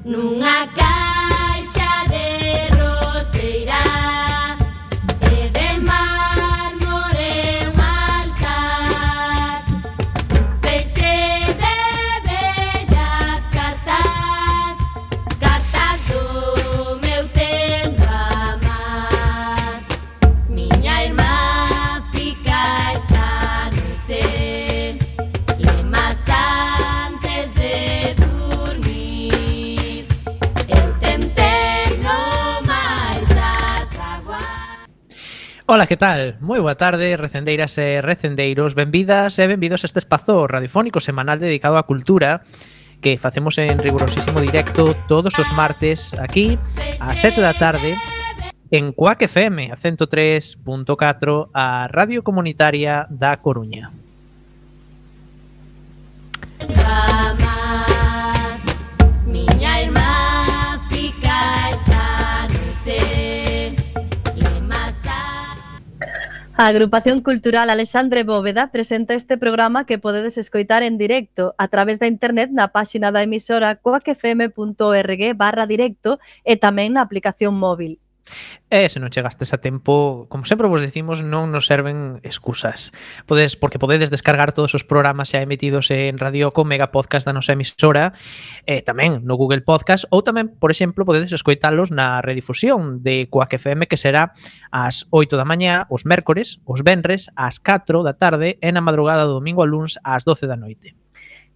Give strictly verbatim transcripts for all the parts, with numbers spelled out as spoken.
Nunha caixa de roseira e de mármore un altar, feixe de bellas cartas, cartas do meu tempo amar. Miña irmá fica esta noite, lemas antes de dormir. Eu tentei no máis atraguar. Ola, que tal? Moi boa tarde, recendeiras e recendeiros. Benvidas e benvidos a este espazo radiofónico semanal dedicado á cultura que facemos en rigurosísimo directo todos os martes aquí ás sete da tarde en Cuac F M, a ciento tres punto catro, a Radio Comunitaria da Coruña. Amar, miña irmá fica esta noite, lemas a... A Agrupación Cultural Alexandre Bóveda presenta este programa que podedes escoitar en directo a través da internet na páxina da emisora coacfm.org barra directo e tamén na aplicación móvil. E se non chegastes a tempo, como sempre vos decimos, non nos serven excusas. Podes, porque podedes descargar todos os programas xa emitidos en Radio Co Mega Podcast da nosa emisora, e tamén no Google Podcast, ou tamén, por exemplo, podedes escoitalos na redifusión de Cuac F M, que será ás oito da mañá, os mércores, os venres, ás catro da tarde, e na madrugada do domingo a luns ás doce da noite.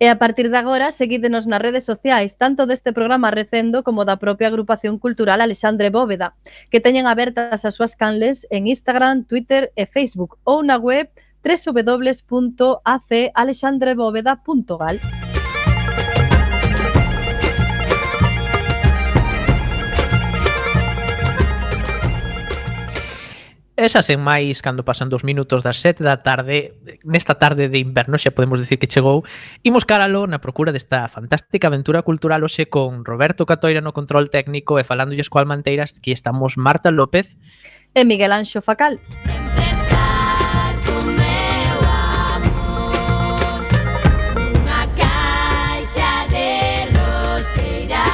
E a partir de agora, seguídenos nas redes sociais, tanto deste programa Recendo como da propia Agrupación Cultural Alexandre Bóveda, que teñen abertas as súas canles en Instagram, Twitter e Facebook, ou na web doble u doble u doble u punto a c alexandre bóveda punto gal. Esas en máis, cando pasan dos minutos das sete da tarde, nesta tarde de inverno, xa podemos dicir que chegou, imos caralo na procura desta fantástica aventura cultural hoxe con Roberto Catoira no control técnico e falándolles coa Almanteiras, que estamos Marta López E Miguel Anxo Facal. Sempre estar con meu amor, nunha caixa de roseira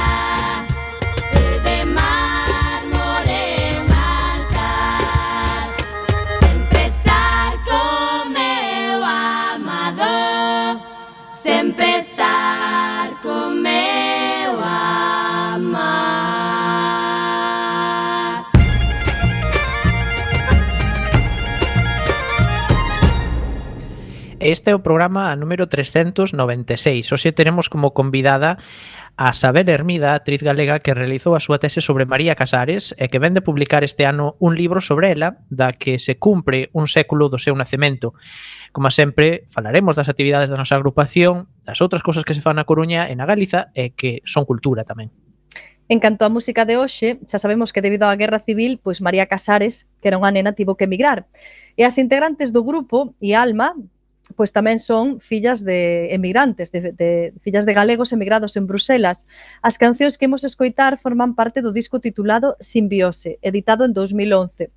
e de mármore un altar, sempre estar con meu amado, sempre estar con meu amar. Este é o programa número trescentos noventa e seis. Hoxe teremos como convidada a Sabel Hermida, actriz galega que realizou a súa tese sobre María Casares e que vén de publicar este ano un libro sobre ela, da que se cumpre un século do seu nacemento. Como sempre, falaremos das actividades da nosa agrupación, das outras cousas que se fan na Coruña e na Galiza e que son cultura tamén. En canto á música de hoxe, xa sabemos que debido á Guerra Civil, pois María Casares, que era unha nena, tivo que emigrar. E as integrantes do grupo e Alma, pois tamén son fillas de emigrantes, de, de fillas de galegos emigrados en Bruselas. As cancións que imos escoitar forman parte do disco titulado Simbiose, editado en dos mil once.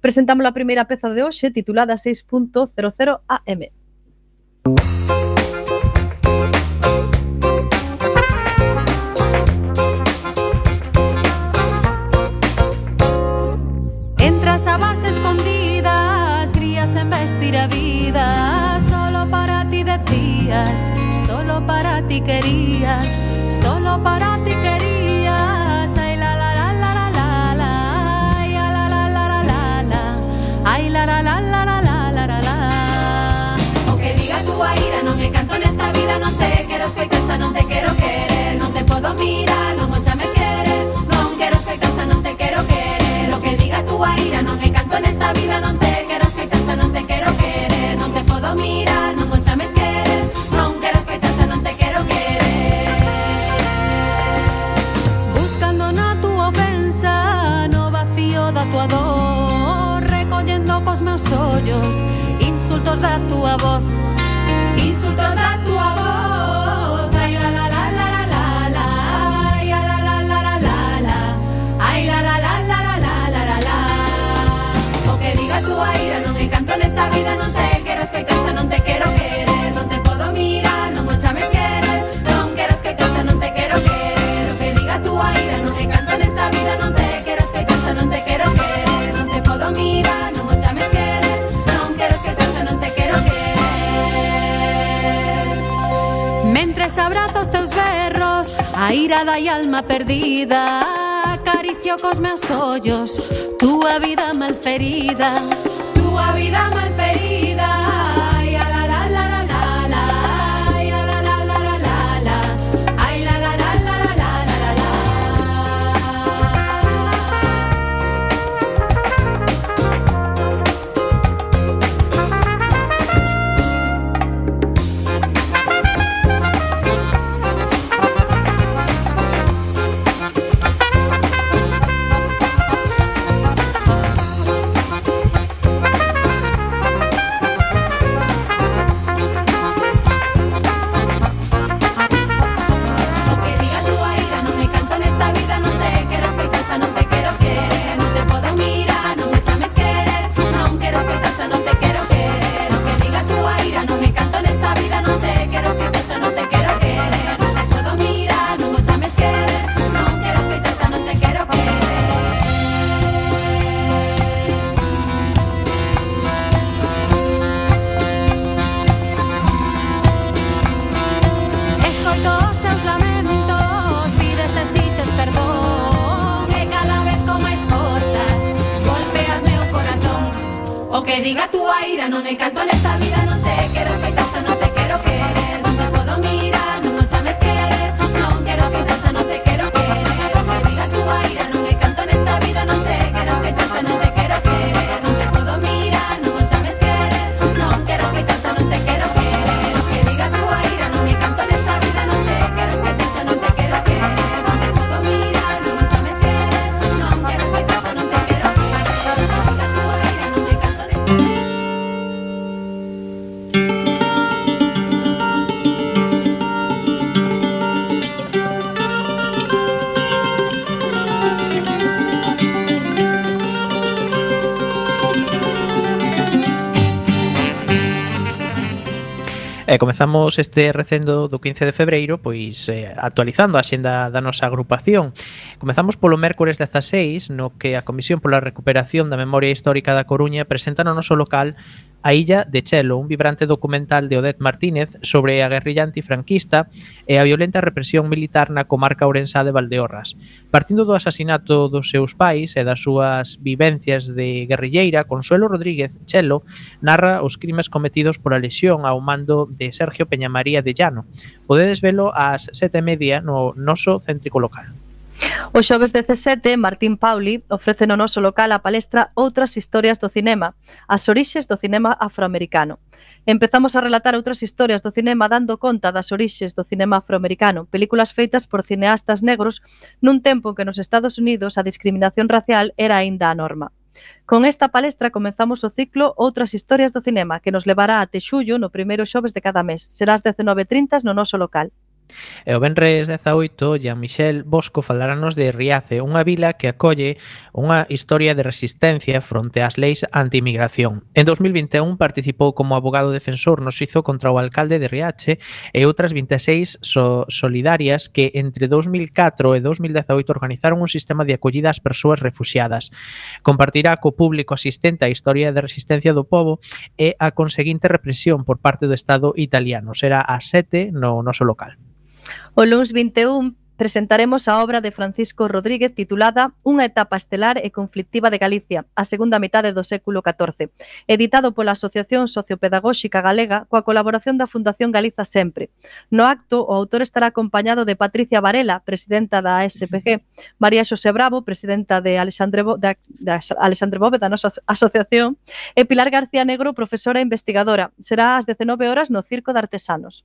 Presentamos a primeira peza de hoxe, titulada seis punto cero cero A M. Entras a base escondidas, crías en vestir a vida. Solo para ti decías, solo para ti querías, solo para ti querías. Ay la la la la la la la, ay la la la la la la la, ay la la la la la la la la la. O que diga tu aira, non me canto nesta vida, non te quero escoitar, xa non te quero querer, non te podo mirar, non o chames querer, non quero escoitar, xa non te quero querer. O que diga tu aira, non me canto nesta vida, non te quero escoitar, xa non te quero querer, non te podo mirar, non o chames querer, non quero escoitar, xa non te quero querer. Buscando na túa ofensa, no vacío da túa dor, recollendo cos meus ollos insultos da túa voz, insultos da túa voz. Ai la la la la la la la, ai la la la la la la la, ai la la la la la la la la la. O que diga tu aira, non me canto nesta vida, non te quero escoitar, xa non te quero Mentres abrazo os teus berros, a ira da alma perdida, acaricio cos meus ollos túa vida malferida, túa vida malferida. Ai, a la la la la la la, ai, a la la la la la la, ai, la la la la la la la la. Diga tu aira, non e canto nesta vida, non te quero escoitar, xa non te quero querer, non te podo mirar, non o chames querer, non quero escoitar, xa non te quero querer. O que diga tu aira, non e canto nesta vida, non te quero escoitar, xa non te quero querer, non te podo mirar, non o chames querer, non quero escoitar, xa non te quero querer. O que diga tu aira, non e canto nesta vida, non te quero escoitar, xa non te quero querer, non te podo mirar, non o chames querer, non quero escoitar, xa non te quero querer. O que diga tu aira, non e canto nesta E comezamos este recendo do quince de febreiro pois eh, actualizando a xenda da nosa agrupación. Comezamos polo mércores dezaseis, no que a Comisión pola Recuperación da Memoria Histórica da Coruña presenta no noso local A Illa de Chelo, un vibrante documental de Odette Martínez sobre a guerrilla antifranquista e a violenta represión militar na comarca ourensá de Valdeorras. Partindo do asasinato dos seus pais e das súas vivencias de guerrilleira, Consuelo Rodríguez Chelo narra os crimes cometidos por a Lexión ao mando de Sergio Peñamaría de Llano. Podedes velo ás sete e media no noso céntrico local. O xoves dezasete, Martín Pauli ofrece no noso local a palestra Outras historias do cinema, as orixes do cinema afroamericano. Empezamos a relatar outras historias do cinema dando conta das orixes do cinema afroamericano, películas feitas por cineastas negros nun tempo en que nos Estados Unidos a discriminación racial era aínda a norma. Con esta palestra comenzamos o ciclo Outras historias do cinema, que nos levará até xullo no primeiro xoves de cada mes. Será ás dezenove e trinta no noso local. E o venres dezaoito, Jean-Michel Bosco faláranos de Riace, unha vila que acolle unha historia de resistencia fronte ás leis anti-inmigración. En dos mil vinte e un participou como abogado defensor no xuízo contra o alcalde de Riache e outras vinte e seis so solidarias que entre dos mil catro e dos mil dezaoito organizaron un sistema de acollida ás persoas refuxiadas. Compartirá co público asistente a historia de resistencia do pobo e a conseguinte represión por parte do Estado italiano. Será ás sete no noso local. O luns vinte e un presentaremos a obra de Francisco Rodríguez titulada Unha etapa estelar e conflictiva de Galicia, a segunda metade do século catorce, editado pola Asociación Sociopedagóxica Galega coa colaboración da Fundación Galiza Sempre. No acto, o autor estará acompañado de Patricia Varela, presidenta da A S P G, María Xosé Bravo, presidenta de Alexandre, Bo, de, de Alexandre Bóveda, da nosa asociación, e Pilar García Negro, profesora e investigadora. Será ás dezenove horas no Circo de Artesanos.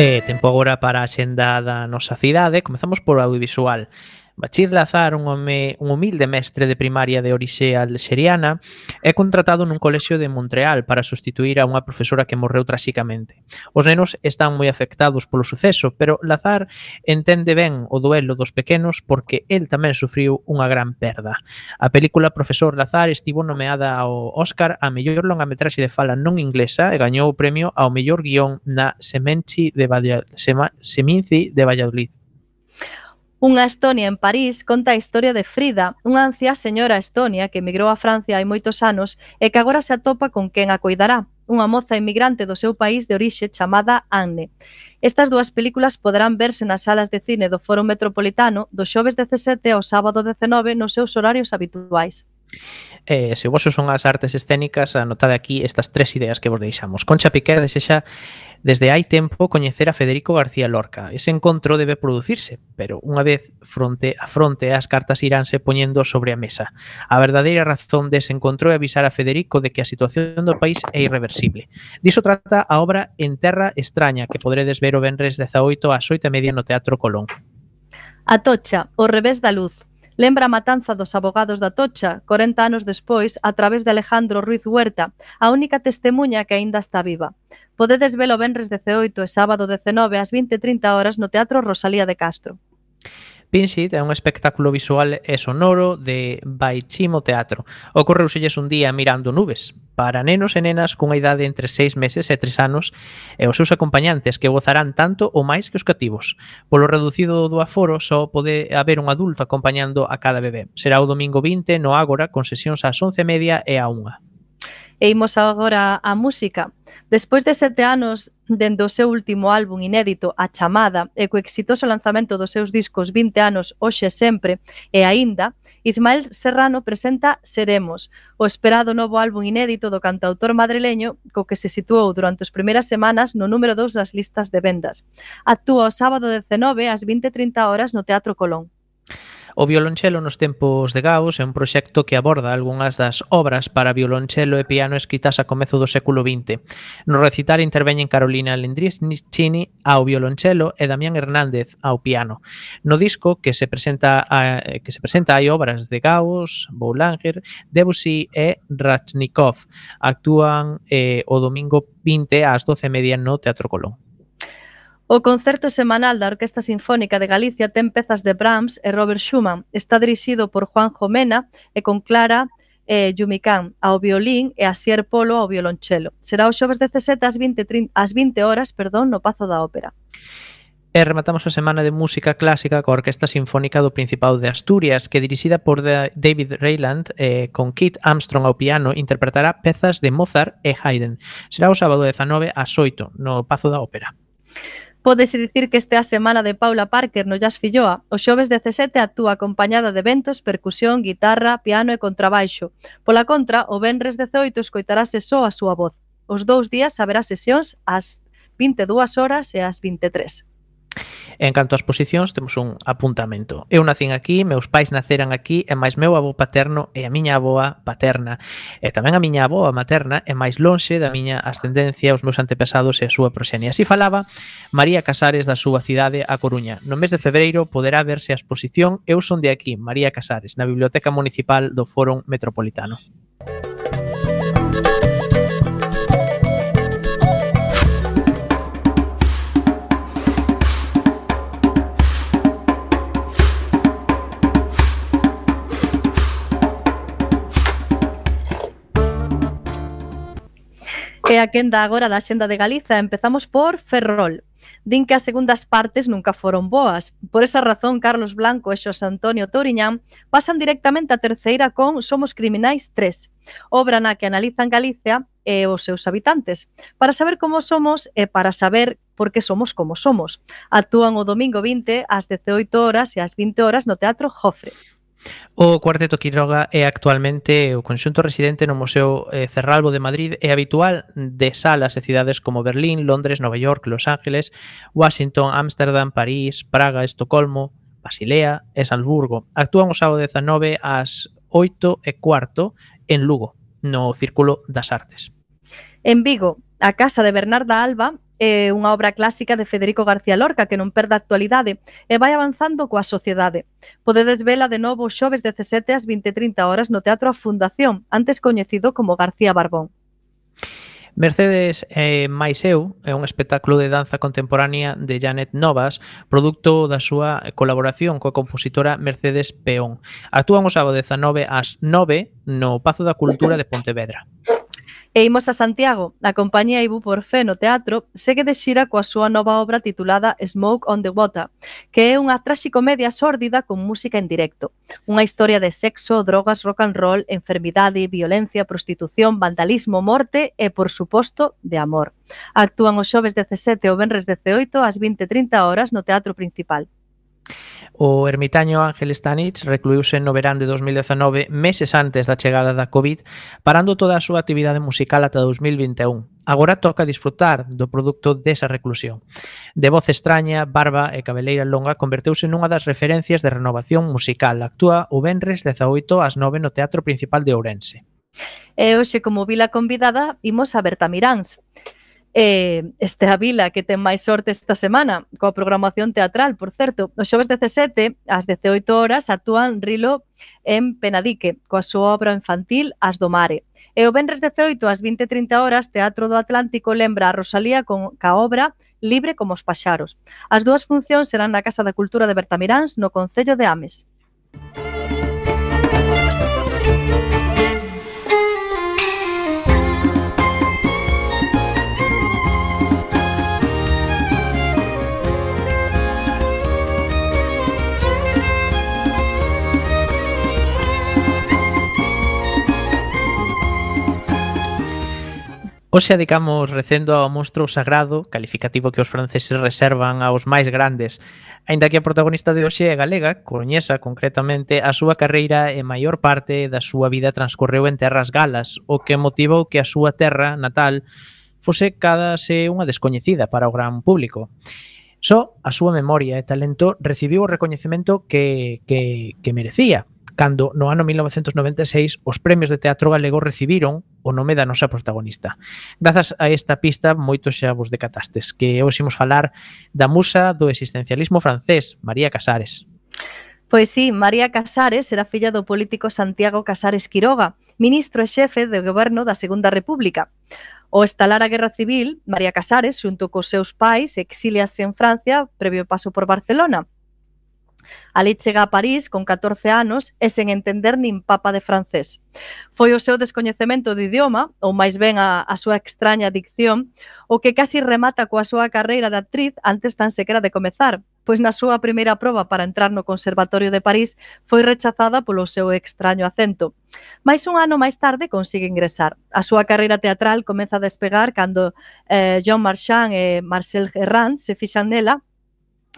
E tempo agora para a xenda da nosa cidade. Comezamos por audiovisual. Bachir Lazar, un home un humilde mestre de primaria de orixe alxeriana, é contratado nun colexio de Montreal para sustituir a unha profesora que morreu traxicamente. Os nenos están moi afectados polo suceso, pero Lazar entende ben o duelo dos pequenos porque el tamén sufriu unha gran perda. A película Profesor Lazar estivo nomeada ao Óscar a mellor longametraxe de fala non inglesa e gañou o premio ao mellor guión na Seminci de Valla- Sema- Seminci de Valladolid. Unha Estonia en París conta a historia de Frida, unha anciá señora estonia que emigrou a Francia hai moitos anos e que agora se atopa con quen a coidará, unha moza inmigrante do seu país de orixe chamada Anne. Estas dúas películas poderán verse nas salas de cine do Foro Metropolitano do xoves dezasete ao sábado dezenove nos seus horarios habituais. Eh, se o voso son as artes escénicas, anotade aquí estas tres ideas que vos deixamos. Concha Piquer desexa desde hai tempo coñecer a Federico García Lorca. Ese encontro debe producirse, pero unha vez fronte a fronte as cartas iránse poñendo sobre a mesa. A verdadeira razón dese encontro é avisar a Federico de que a situación do país é irreversible. Diso trata a obra En Terra Extraña, que poderedes ver o venres dezaoito ás oito e media no Teatro Colón. Atocha, o revés da luz. Lembra a matanza dos abogados da Atocha, corenta anos despois, a través de Alejandro Ruiz Huerta, a única testemuña que aínda está viva. Podedes velo venres dezaoito e sábado dezenove ás vinte e trinta horas no Teatro Rosalía de Castro. Pinsit é un espectáculo visual e sonoro de Baichimo Teatro. Ocorreuselles un día mirando nubes. Para nenos e nenas cunha idade entre seis meses e tres anos e os seus acompañantes que gozarán tanto ou máis que os cativos. Polo reducido do aforo só pode haber un adulto acompañando a cada bebé. Será o domingo vinte no Ágora con sesións ás once e media e á unha. E imos agora á música. Despois de sete anos dende o seu último álbum inédito, A Chamada, e co exitoso lanzamento dos seus discos vinte anos Hoxe Sempre e Aínda, Ismael Serrano presenta Seremos, o esperado novo álbum inédito do cantautor madrileño co que se situou durante as primeiras semanas no número dous das listas de vendas. Actúa o sábado dezenove ás vinte e trinta horas no Teatro Colón. O violonchelo nos tempos de Gauss é un proxecto que aborda algunhas das obras para violonchelo e piano escritas a comezo do século vinte. No recital interveñen Carolina Lendrischini ao violonchelo e Damián Hernández ao piano. No disco que se presenta a, que se presenta hai obras de Gauss, Boulanger, Debussy e Rachnikov. Actúan eh, o domingo vinte ás doce e media no Teatro Colón. O concerto semanal da Orquesta Sinfónica de Galicia ten pezas de Brahms e Robert Schumann. Está dirixido por Juanjo Mena e con Clara eh, Yumicán ao violín e Asier Polo ao violonchelo. Será o xoves dezasete ás vinte, ás vinte horas perdón, no Pazo da Ópera. E rematamos a semana de música clásica coa Orquesta Sinfónica do Principado de Asturias, que dirixida por David Rayland eh, con Keith Armstrong ao piano interpretará pezas de Mozart e Haydn. Será o sábado dezanove ás oito no Pazo da Ópera. Pódese dicir que este é a semana de Paula Parker no Jazz Filloa. O xoves dezasete actúa acompañada de ventos, percusión, guitarra, piano e contrabaixo. Pola contra, o venres dezaoito escoitarase só a súa voz. Os dous días haberá sesións ás vinte e dúas horas e ás vinte e tres. En canto ás posicións, temos un apuntamento. Eu nacín aquí, meus pais naceran aquí, e máis meu avó paterno e a miña avoa paterna. E tamén a miña avoa materna é máis lonxe da miña ascendencia, os meus antepasados e a súa proxenia. Así falaba María Casares da súa cidade, A Coruña. No mes de febreiro poderá verse a exposición Eu son de aquí, María Casares, na Biblioteca Municipal do Foro Metropolitano. E a quenda agora da Xenda de Galiza, empezamos por Ferrol. Din que as segundas partes nunca foron boas. Por esa razón, Carlos Blanco e Xosé Antonio Touriñán pasan directamente a terceira con Somos Criminais tres, obra na que analizan Galicia e os seus habitantes, para saber como somos e para saber por que somos como somos. Actúan o domingo vinte ás dezaoito horas e ás vinte horas no Teatro Jofre. O Cuarteto Quiroga é actualmente o conxunto residente no Museo Cerralbo de Madrid e habitual de salas e cidades como Berlín, Londres, Nova York, Los Ángeles, Washington, Ámsterdam, París, Praga, Estocolmo, Basilea e Salzburgo. Actúan o sábado dezanove ás oito e cuarto en Lugo, no Círculo das Artes. En Vigo, a casa de Bernarda Alba é unha obra clásica de Federico García Lorca que non perde a actualidade e vai avanzando coa sociedade. Podedes vela de novo os xoves dezasete ás vinte e trinta horas no Teatro A Fundación, antes coñecido como García Barbón. Mercedes eh, máis eu é un espectáculo de danza contemporánea de Janet Novas, produto da súa colaboración coa compositora Mercedes Peón. Actúan o sábado dezanove ás nove no Pazo da Cultura de Pontevedra. E imos a Santiago. A compañía Ibu Porfé no teatro segue de xira coa súa nova obra titulada Smoke on the Water, que é unha traxicomedia sórdida con música en directo. Unha historia de sexo, drogas, rock and roll, enfermidade, violencia, prostitución, vandalismo, morte e, por suposto, de amor. Actúan os xoves dezasete e o venres dezaoito ás vinte e trinta horas no Teatro Principal. O ermitaño Ángel Stanich recluíuse no verán de dos mil dezanove, meses antes da chegada da COVID, parando toda a súa actividade musical ata dos mil vinte e un. Agora toca disfrutar do produto desa reclusión. De voz extraña, barba e cabeleira longa, converteuse nunha das referencias de renovación musical. Actúa o venres dezaoito ás nove no Teatro Principal de Ourense. E hoxe, como vila convidada, imos a Bertamiráns. Eh, este a vila que ten máis sorte esta semana coa programación teatral, por certo. Os xoves dezasete ás dezaoito horas actúan Rilo en Penadique coa súa obra infantil As do Mare. E o venres dezaoito ás vinte e trinta horas Teatro do Atlántico lembra a Rosalía con ca obra Libre como os paxaros. As dúas funcións serán na Casa da Cultura de Bertamiráns no Concello de Ames. Hoxe adicamos recendo ao monstro sagrado, calificativo que os franceses reservan aos máis grandes. Aínda que a protagonista de hoxe é galega, coruñesa concretamente, a súa carreira e maior parte da súa vida transcorreu en terras galas, o que motivou que a súa terra natal fose cadase unha descoñecida para o gran público. Só a súa memoria e talento recibiu o recoñecemento que, que, que merecía, cando no ano mil novecentos noventa e seis os premios de teatro galego recibiron o nome da nosa protagonista. Grazas a esta pista, moitos xa vos decatastes, que hoxe imos falar da musa do existencialismo francés, María Casares. Pois sí, María Casares era filla do político Santiago Casares Quiroga, ministro e xefe do goberno da Segunda República. Ao estalar a Guerra Civil, María Casares, xunto cos seus pais, exíliase en Francia previo paso por Barcelona. Ali chega a París con catorce anos e sen entender nin papa de francés. Foi o seu descoñecemento do idioma, ou máis ben a, a súa extraña dicción, o que casi remata coa súa carreira de actriz antes tan sequera de comezar, pois na súa primeira proba para entrar no Conservatorio de París foi rechazada polo seu extraño acento. Mais un ano máis tarde consigue ingresar. A súa carreira teatral comeza a despegar cando eh, Jean Marchand e Marcel Herrand se fixan nela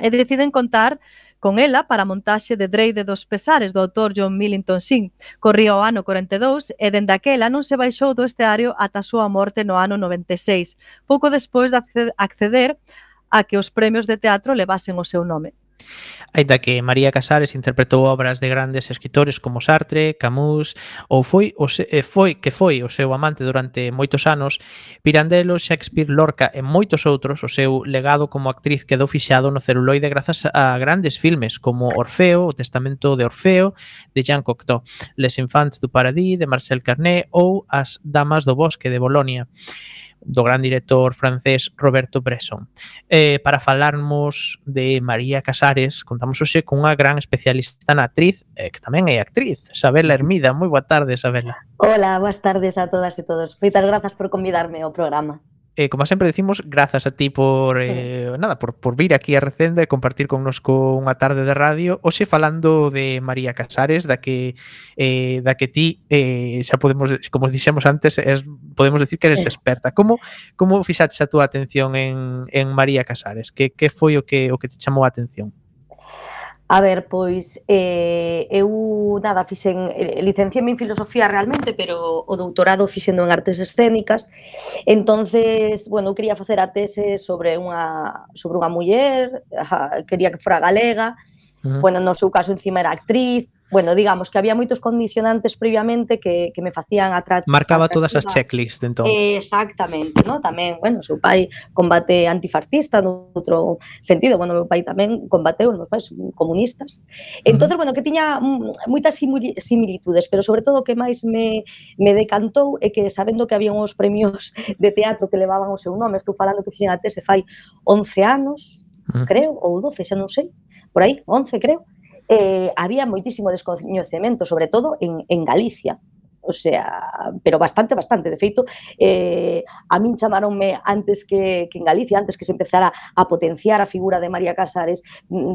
e deciden contar con ela para a montaxe de Dreide dos Pesares do autor John Millington Synge. Corría o ano corenta e dous e dende aquela non se baixou do esteario ata a súa morte no ano noventa e seis, pouco despois de acceder a que os premios de teatro levasen o seu nome. Aínda que María Casares interpretou obras de grandes escritores como Sartre, Camus, ou foi o se, foi que foi o seu amante durante moitos anos, Pirandello, Shakespeare, Lorca e moitos outros, o seu legado como actriz quedou fixado no celuloide grazas a grandes filmes como Orfeo, O testamento de Orfeo, de Jean Cocteau, Les Enfants du Paradis, de Marcel Carné, ou As damas do bosque, de Bolonia, do gran director francés Roberto Bresson. Eh, para falarmos de María Casares, contamos hoxe con unha gran especialista na actriz, eh, que tamén é actriz, Sabela Hermida. Moi boa tarde, Sabela. Hola, boas tardes a todas e todos. Moitas grazas por convidarme ao programa. Eh, como sempre decimos, grazas a ti por eh, nada, por, por vir aquí a Recendo e compartir connosco unha tarde de radio. Hoxe falando de María Casares, da que eh, da que ti eh, xa podemos, como dixemos antes, es, podemos decir que eres experta. Como como fixaches a túa atención en, en María Casares? Que, que foi o que o que te chamou a atención? A ver, pois eh, eu nada, fixen, licenciame en filosofía realmente, pero o doutorado fixendo en artes escénicas. Entonces, bueno, eu quería facer a tese sobre unha sobre unha muller, quería que fora galega. Uh-huh. Bueno, no seu caso encima era actriz, bueno, digamos que había moitos condicionantes previamente que, que me facían atractiva. Marcaba todas as checklists, entón. Exactamente, ¿no? Tamén, bueno, seu pai combate antifascista noutro sentido, bueno, meu pai tamén combateu, os meus pais son comunistas. Entonces, uh -huh. bueno, que tiña moitas similitudes, pero sobre todo o que máis me, me decantou é que sabendo que había uns premios de teatro que levaban o seu nome, estou falando que fixen a tese fai once anos, uh -huh. creo, ou doce, xa non sei, por aí, once creo, Eh, había moitísimo descoñecemento, sobre todo en, en Galicia, o sea, pero bastante, bastante. De feito, eh, a min chamaronme antes que, que en Galicia, antes que se empezara a potenciar a figura de María Casares,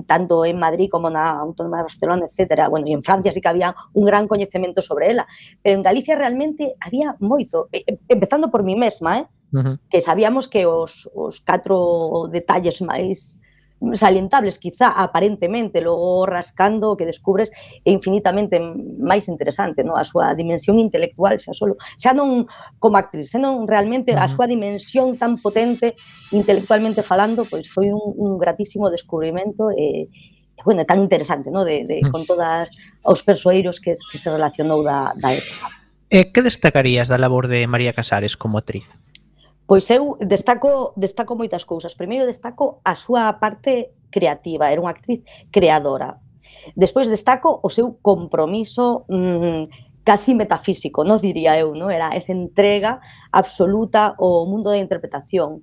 tanto en Madrid como na Autónoma de Barcelona, etcétera. Bueno, e en Francia sí que había un gran coñecemento sobre ela, pero en Galicia realmente había moito, eh, empezando por mí mesma, eh, uh -huh. que sabíamos que os, os catro detalles máis salientables, quizá aparentemente, logo rascando que descubres é infinitamente máis interesante, no? A súa dimensión intelectual, xa solo, xa non como actriz, senón realmente a súa dimensión tan potente intelectualmente falando, pois foi un, un gratísimo descubrimento e, e bueno, tan interesante, no? De, de, con todos os persoeiros que, que se relacionou da, da época. E que destacarías da labor de María Casares como actriz? Pois eu destaco, destaco moitas cousas. Primeiro destaco a súa parte creativa, era unha actriz creadora. Despois destaco o seu compromiso mmm, casi metafísico, non diría eu, non? Era esa entrega absoluta ao mundo da interpretación.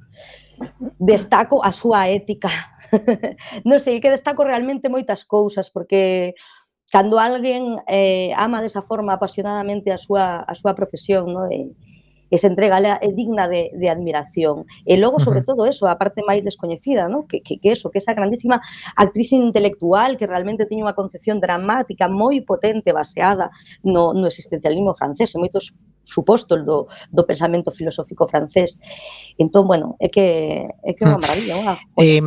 Destaco a súa ética. Non sei, que destaco realmente moitas cousas, porque cando alguén eh, ama desa forma apasionadamente a súa, a súa profesión, non? E, esa entrega é digna de, de admiración. E logo, sobre todo eso, a parte máis descoñecida, ¿no? que, que, que eso, que esa grandísima actriz intelectual que realmente tiña unha concepción dramática moi potente baseada no, no existencialismo francés, en moitos supostos do, do pensamento filosófico francés. Entón, bueno, é que é que é unha maravilla, unha eh,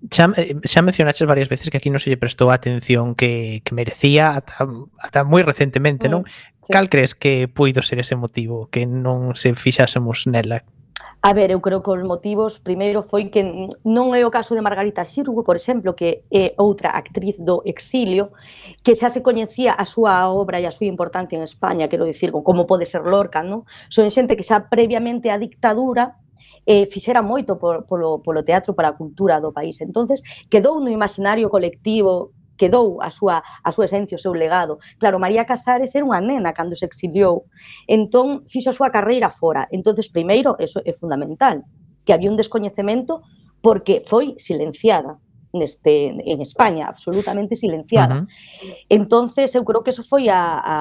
xa, xa mencionaches varias veces que aquí non se lle prestou a atención que, que merecía ata, ata moi recentemente, non? Sí. Cal crees que puido ser ese motivo que non se fixásemos nela? A ver, eu creo que os motivos, primeiro, foi que non é o caso de Margarita Xirgu, por exemplo, que é outra actriz do exilio, que xa se coñecía a súa obra e a súa importancia en España, quero dicir, como pode ser Lorca, non? Son xente que xa previamente a dictadura eh, fixera moito por, polo, polo teatro para a cultura do país. Entonces, quedou no imaginario colectivo, quedou a súa, a súa esencia, o seu legado. Claro, María Casares era unha nena cando se exiliou, entón fixo a súa carreira fora. Entonces, primeiro, eso é fundamental, que había un descoñecemento porque foi silenciada neste, en España, absolutamente silenciada. Uh-huh. Entonces, eu creo que eso foi a, a,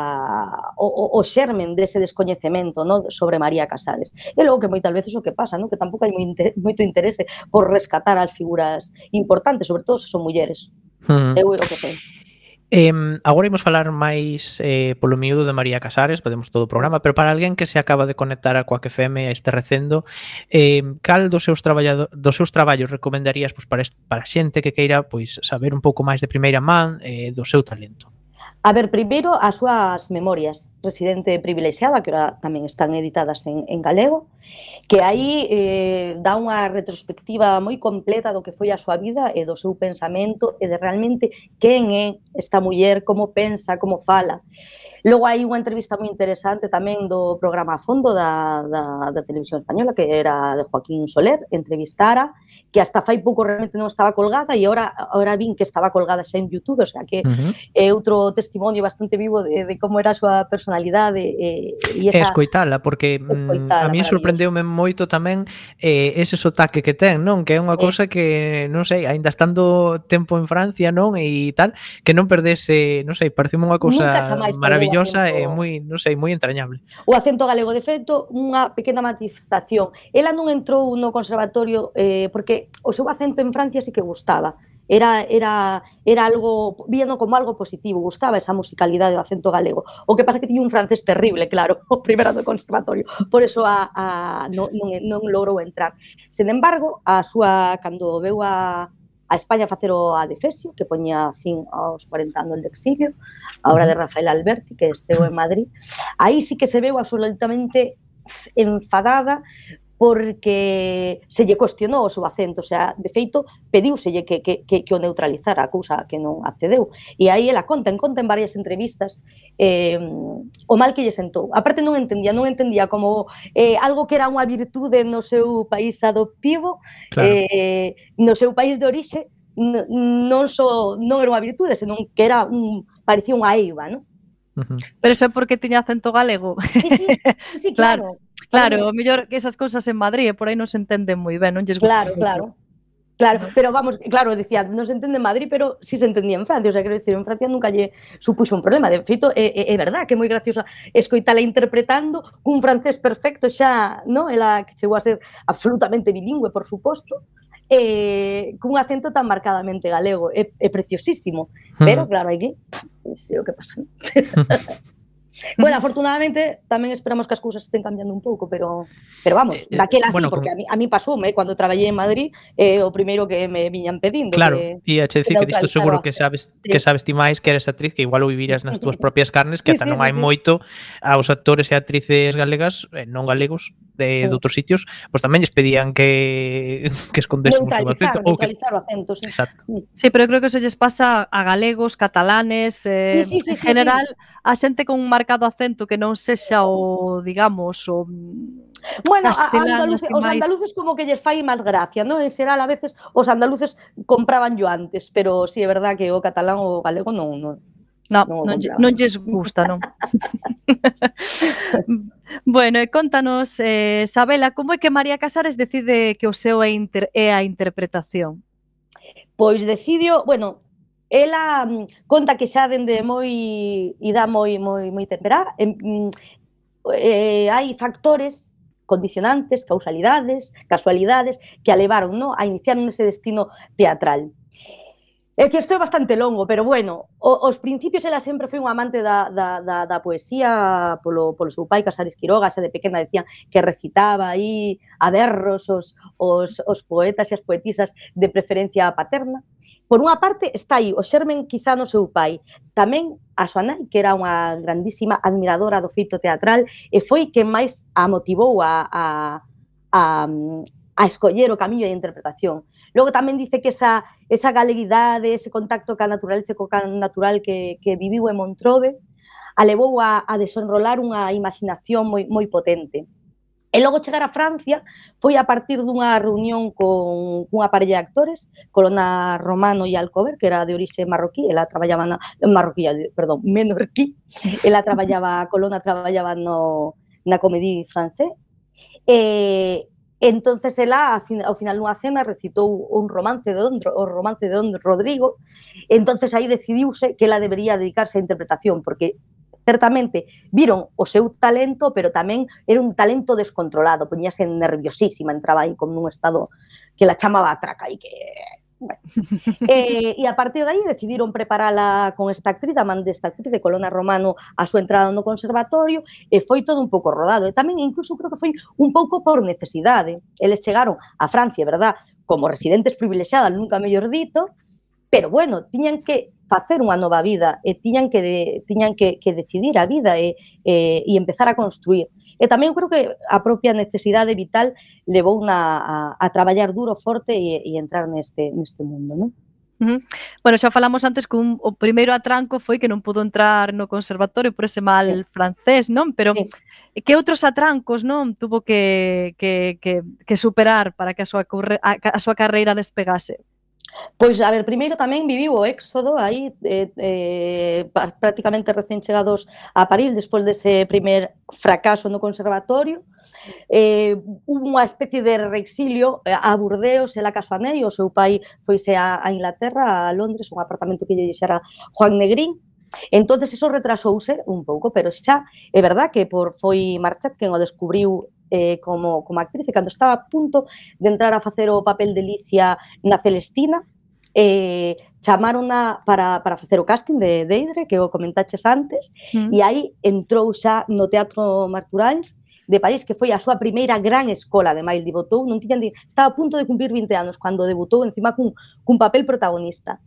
o, o xermen dese descoñecemento, no? Sobre María Casares. E logo que moitas veces o que pasa, no? Que tampouco hai moito interese por rescatar as figuras importantes, sobre todo se son mulleres. Uh-huh. Eu o que penso. Eh, agora imos falar máis eh, polo miúdo de María Casares, podemos todo o programa, pero para alguén que se acaba de conectar a Coac F M a este recendo, eh, cal dos seus, dos seus traballos recomendarías pois, para, para xente que queira pois, saber un pouco máis de primeira man eh, do seu talento? A ver, primeiro, as súas memorias, Residente privilexiada, que ahora tamén están editadas en, en galego, que aí eh, dá unha retrospectiva moi completa do que foi a súa vida e do seu pensamento e de realmente quen é esta muller, como pensa, como fala. Logo hai unha entrevista moi interesante tamén do programa a fondo da, da, da televisión española, que era de Joaquín Soler, entrevistara, que hasta fai pouco realmente non estaba colgada e ahora, ahora vin que estaba colgada xa en YouTube, o sea que uh-huh. é outro testimonio bastante vivo de, de como era a súa personalidade. E, e esa... escoitala, porque escoitala, a mí sorprendeume moito tamén eh, ese sotaque que ten, non? Que é unha cousa que, non sei, aínda estando tempo en Francia, non? E tal, que non perdese, non sei, pareceme unha cousa maravillosa e moi, non sei, moi entrañable. O acento galego, de feito, unha pequena matización. Ela non entrou no conservatorio eh, porque o seu acento en Francia sí que gustaba. Era, era, era algo, viendo como algo positivo, gustaba esa musicalidade do acento galego. O que pasa que tiña un francés terrible, claro, o primeiro do conservatorio, por eso a, a, non, non, non logrou entrar. Sen embargo, a súa, cando veu a, a España a facer o Adefesio, que poñía fin aos cuarenta anos de exilio, a obra de Rafael Alberti, que estreou en Madrid, aí sí que se veu absolutamente enfadada porque se lle cuestionou o seu acento, o sea, de feito, pediuselle que, que, que, que o neutralizara, a cousa que non accedeu. E aí ela conta, en conta en varias entrevistas, eh, o mal que lle sentou. Aparte non entendía, non entendía como eh, algo que era unha virtude no seu país adoptivo, Claro. eh, no seu país de orixe, non só non era unha virtude, senón que era un, parecía unha eiva, non? Uh-huh. Pero iso é porque tiña acento galego. Sí, sí, sí, claro. Claro, o mellor que esas cousas en Madrid, por aí non se entenden moi ben, non lles gusta. Claro, claro. Claro, pero vamos, claro, decía, non se entende en Madrid, pero sí se entendía en Francia, o sea, quero dicir, en Francia nunca lle supuxo un problema. De feito, é, é, é verdad que é moi graciosa escoitala interpretando un francés perfecto xa, no? Ela que chegou a ser absolutamente bilingüe, por suposto, eh, cun acento tan marcadamente galego, é, é preciosísimo, pero claro, aquí, pois é o que pasa, non? Bueno, afortunadamente tamén esperamos que as cousas estén cambiando un pouco, pero pero vamos, daquela bueno, sí, porque con... a mí, a mí pasoume, eh, cando traballei en Madrid, eh, o primeiro que me viñan pedindo. Claro, que, e a che dicir que disto seguro que sabes sí. que sabes ti máis que eres actriz, que igual o vivirías nas túas propias carnes, que sí, ata sí, non hai sí, moito aos actores e actrices galegas, eh, non galegos, de, sí. de outros sitios, pois pues tamén lles pedían que que escondesen o seu acento. Neutralizar o acento, sí. Exacto. Sí, pero eu creo que eso lles pasa a galegos, catalanes, eh, sí, sí, sí, en general, sí, sí. a xente con un marcado acento que non sexa o, digamos, o bueno, castelán, andaluz, os andaluces como que lles fai máis gracia, non? En xeral, a veces, os andaluces compraban yo antes, pero si sí, é verdad que o catalán ou o galego non... non No, non, non, non lles gusta, non? Bueno, e contanos, eh, Sabela, como é que María Casares decide que o seu é, inter, é a interpretación? Pois decidio, bueno, ela conta que xa dende moi ida moi moi moi temperá, eh, eh, hai factores condicionantes, causalidades, casualidades que a levaron, no, a iniciar nese destino teatral. É que isto é bastante longo, pero bueno, os principios ela sempre foi unha amante da, da, da, da poesía polo, polo seu pai, Casares Quiroga, xa de pequena decían que recitaba aí a berros os, os, os poetas e as poetisas de preferencia paterna. Por unha parte está aí o xermen quizá no seu pai, tamén a súa nai, que era unha grandísima admiradora do feito teatral e foi quen máis a motivou a, a, a, a escoller o camiño de interpretación. Logo tamén dice que esa, esa galeguidade, ese contacto ca naturaleza, co can natural que, que viviu en Montrove, a levou a, a desenrolar unha imaginación moi, moi potente. E logo chegar a Francia foi a partir dunha reunión con unha parella de actores, Colona Romano e Alcover, que era de orixe marroquí, ela traballaba na marroquí, perdón, menorquí, ela traballaba, Colona traballaba no, na Comédie Française, e entonces ela ao final dunha cena recitou un romance de Don, o romance de Don Rodrigo, entonces aí decidiuse que ela debería dedicarse á interpretación, porque certamente viron o seu talento, pero tamén era un talento descontrolado, poñíase nerviosísima, entraba aí como nun estado que la chamaba a traca e que... Bueno. eh, e a partir de aí decidiron preparala con esta actriz, a man desta actriz de Colona Romano a súa entrada no conservatorio e foi todo un pouco rodado e tamén incluso creo que foi un pouco por necesidade. Eles chegaron a Francia, verdad, como residentes privilexiadas, nunca mellor dito, pero bueno, tiñan que facer unha nova vida e tiñan que, de, tiñan que, que decidir a vida e, e, e empezar a construir. E tamén creo que a propia necesidade vital levou na, a, a traballar duro, forte e, e entrar neste, neste mundo, non? Uh-huh. Bueno, xa falamos antes que un, o primeiro atranco foi que non pudo entrar no conservatorio por ese mal sí. francés, non? Pero sí. que outros atrancos, non? Tuvo que, que, que, que superar para que a súa, a, a súa carreira despegase? Pois, a ver, primeiro tamén viviu o éxodo aí, eh, eh, prácticamente recén chegados a París, despois dese primer fracaso no conservatorio. Eh, hubo unha especie de reexilio a Burdeos, ela casou a nai, o seu pai foise a, a Inglaterra, a Londres, un apartamento que lle deixara Juan Negrín. Entonces, eso retrasouse un pouco, pero xa é verdad que por foi Marchet quen o descubriu Eh, como, como actriz, e cando estaba a punto de entrar a facer o papel de Licia na Celestina, eh, chamarona para, para facer o casting de Deidre, que o comentaches antes, mm. e aí entrou xa no Teatro Marturals de París, que foi a súa primeira gran escola, ademais debutou, non tiñan, estaba a punto de cumplir vinte anos cando debutou encima cun, cun papel protagonista.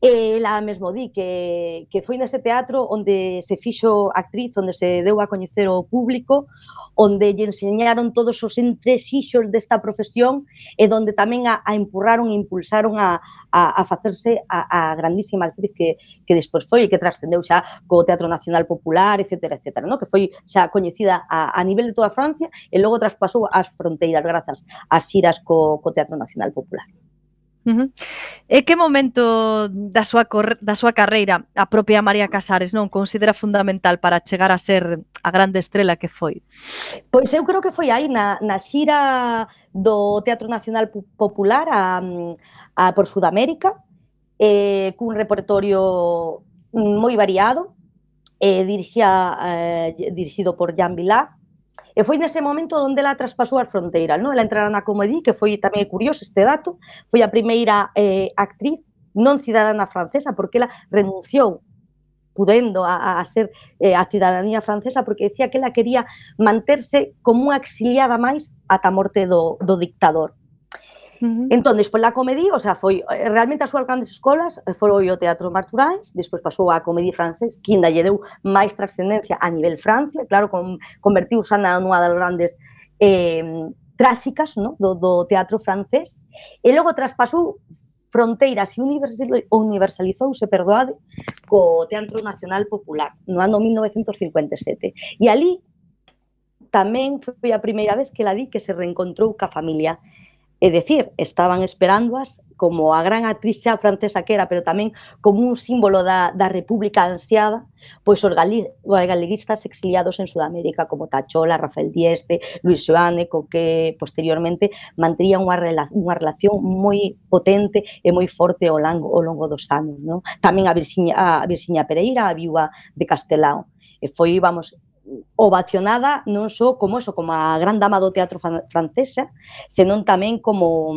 E ela mesmo di que, que foi nese teatro onde se fixo actriz, onde se deu a coñecer ao público, onde lle enseñaron todos os entresixos desta profesión e onde tamén a, a empurraron e impulsaron a, a, a facerse a, a grandísima actriz que, que despois foi e que trascendeu xa co Teatro Nacional Popular, etcétera, etcétera, no? Que foi xa coñecida a, a nivel de toda Francia e logo traspasou as fronteiras grazas ás xiras co, co Teatro Nacional Popular. Uh-huh. E que momento da súa, da súa carreira a propia María Casares non considera fundamental para chegar a ser a grande estrela que foi? Pois eu creo que foi aí na, na xira do Teatro Nacional Popular a, a por Sudamérica, eh, cun repertorio moi variado, eh, dirixía, eh, dirixido por Jean Vilar. E foi nese momento onde ela traspasou as fronteiras, non? Ela entrara na Comédie, que foi tamén curioso este dato, foi a primeira eh, actriz non cidadana francesa, porque ela renunciou pudendo a, a ser eh, a cidadanía francesa, porque decía que ela quería manterse como unha exiliada máis ata a morte do, do dictador. Uh-huh. Entón, despois da Comédie, o sea, foi realmente as súas grandes escolas foi o Teatro Marturais, despois pasou a Comédie Francés, que ainda lle deu máis trascendencia a nivel Francia, claro, con, convertiuse na nunha das grandes eh, tráxicas, no? do, do teatro francés, e logo traspasou fronteiras e universalizouse, perdoade, co Teatro Nacional Popular, no ano mil novecentos cincuenta e sete. E ali tamén foi a primeira vez que ela di que se reencontrou ca familia. É dicir, estaban esperándoas como a gran actriz xa francesa que era, pero tamén como un símbolo da, da república ansiada, pois os galeguistas exiliados en Sudamérica como Tachola, Rafael Dieste, Luis Xoane, co que posteriormente manterían unha, rela unha relación moi potente e moi forte ao longo, ao longo dos anos. Non? Tamén a Virxinia, a Virxinia Pereira, a viúva de Castelao. E foi, vamos, ovacionada non só como eso, como a gran dama do teatro francesa, senón tamén como